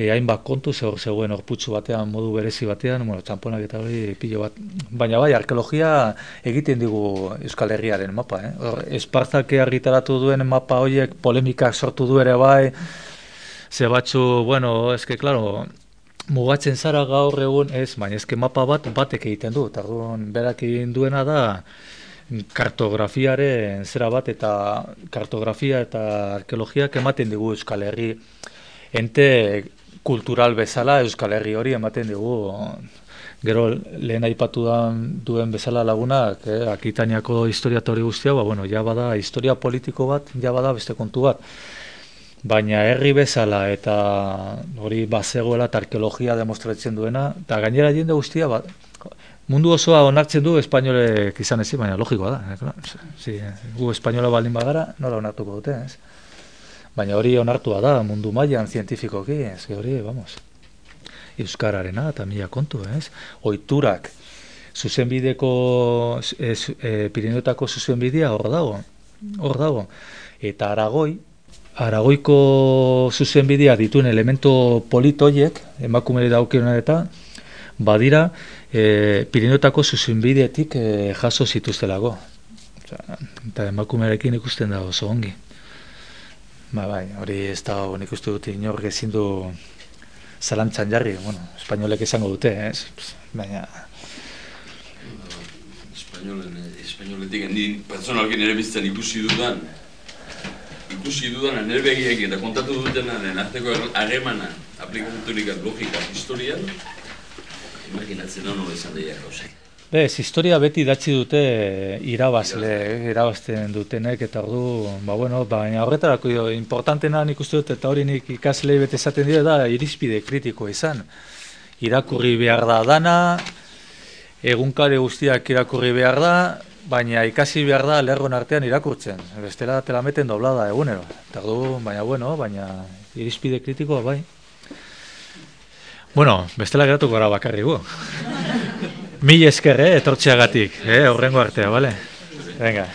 hainbat kontu, zegoen horputzu batean, modu berezi batean, bueno, txamponak eta hori pilo bat. Baina bai, arkeologia egiten digu Euskal Herriaren mapa, Espartak argitaratu duen mapa horiek polemikak sortu du ere bai, ze batzu, bueno, claro, mugatzen zara gaur egun, baina mapa batek egiten du, eta berak egin duena da, kartografiaren zera bat, eta kartografia eta arkeologiak ematen digu Euskal Herri ente kultural bezala Euskal Herri hori ematen digu. Gero lehen aipatu duen bezala lagunak, Akitaniako historia hori guztia, bueno, ja bada historia politiko bat, ja bada beste kontu bat. Baina herri bezala eta hori bazegoela eta arkeologia demostratzen duena, eta gainera jende guztia bat, mundu osoa onartzen du espainolek izan ezin, baina logikoa da. Gu espainola baldin bagara, nola onartuko dute, Baina hori onartua da, mundu mailan zientifikoki, hori, vamos, euskararena eta mila kontu, Ohiturak, zuzenbideko, Pirinioetako zuzenbidea hor dago. Eta Aragoiko zuzenbidea dituen elemento politoiek, emakumeri daukionen eta, badira, Pirinioetako zuzenbidetik jaso zituztelako. Eta emakumearekin ikusten da oso ongi. Bai, hori ez da, nik uste dut inork ezin du zalantzan jarri, bueno, espainolek esango dute, baina... Espainoletik, ni pertsonalki nire bizten ikusi dudan, nire begiek eta kontatu dutenaren arteko harremana, aplikaturik logika historian, imaginatzen hau nola izan daia gauzak. Historia beti idatzi dute irabazten dutenek, eta ordu, baina horretarako importantena nik uste dut, eta hori nik ikaslei bete esaten dira da, irizpide kritikoa izan. Irakurri behar da dana, egunkari guztiak irakurri behar da, baina ikasi behar da lerron artean irakurtzen. Bestela te la meten doblada egunero. Eta ordu, baina irizpide kritikoa bai. Bestela geratuko gara bakarri gu. Mil esker, etortzeagatik, horrengo artea, bale? Venga.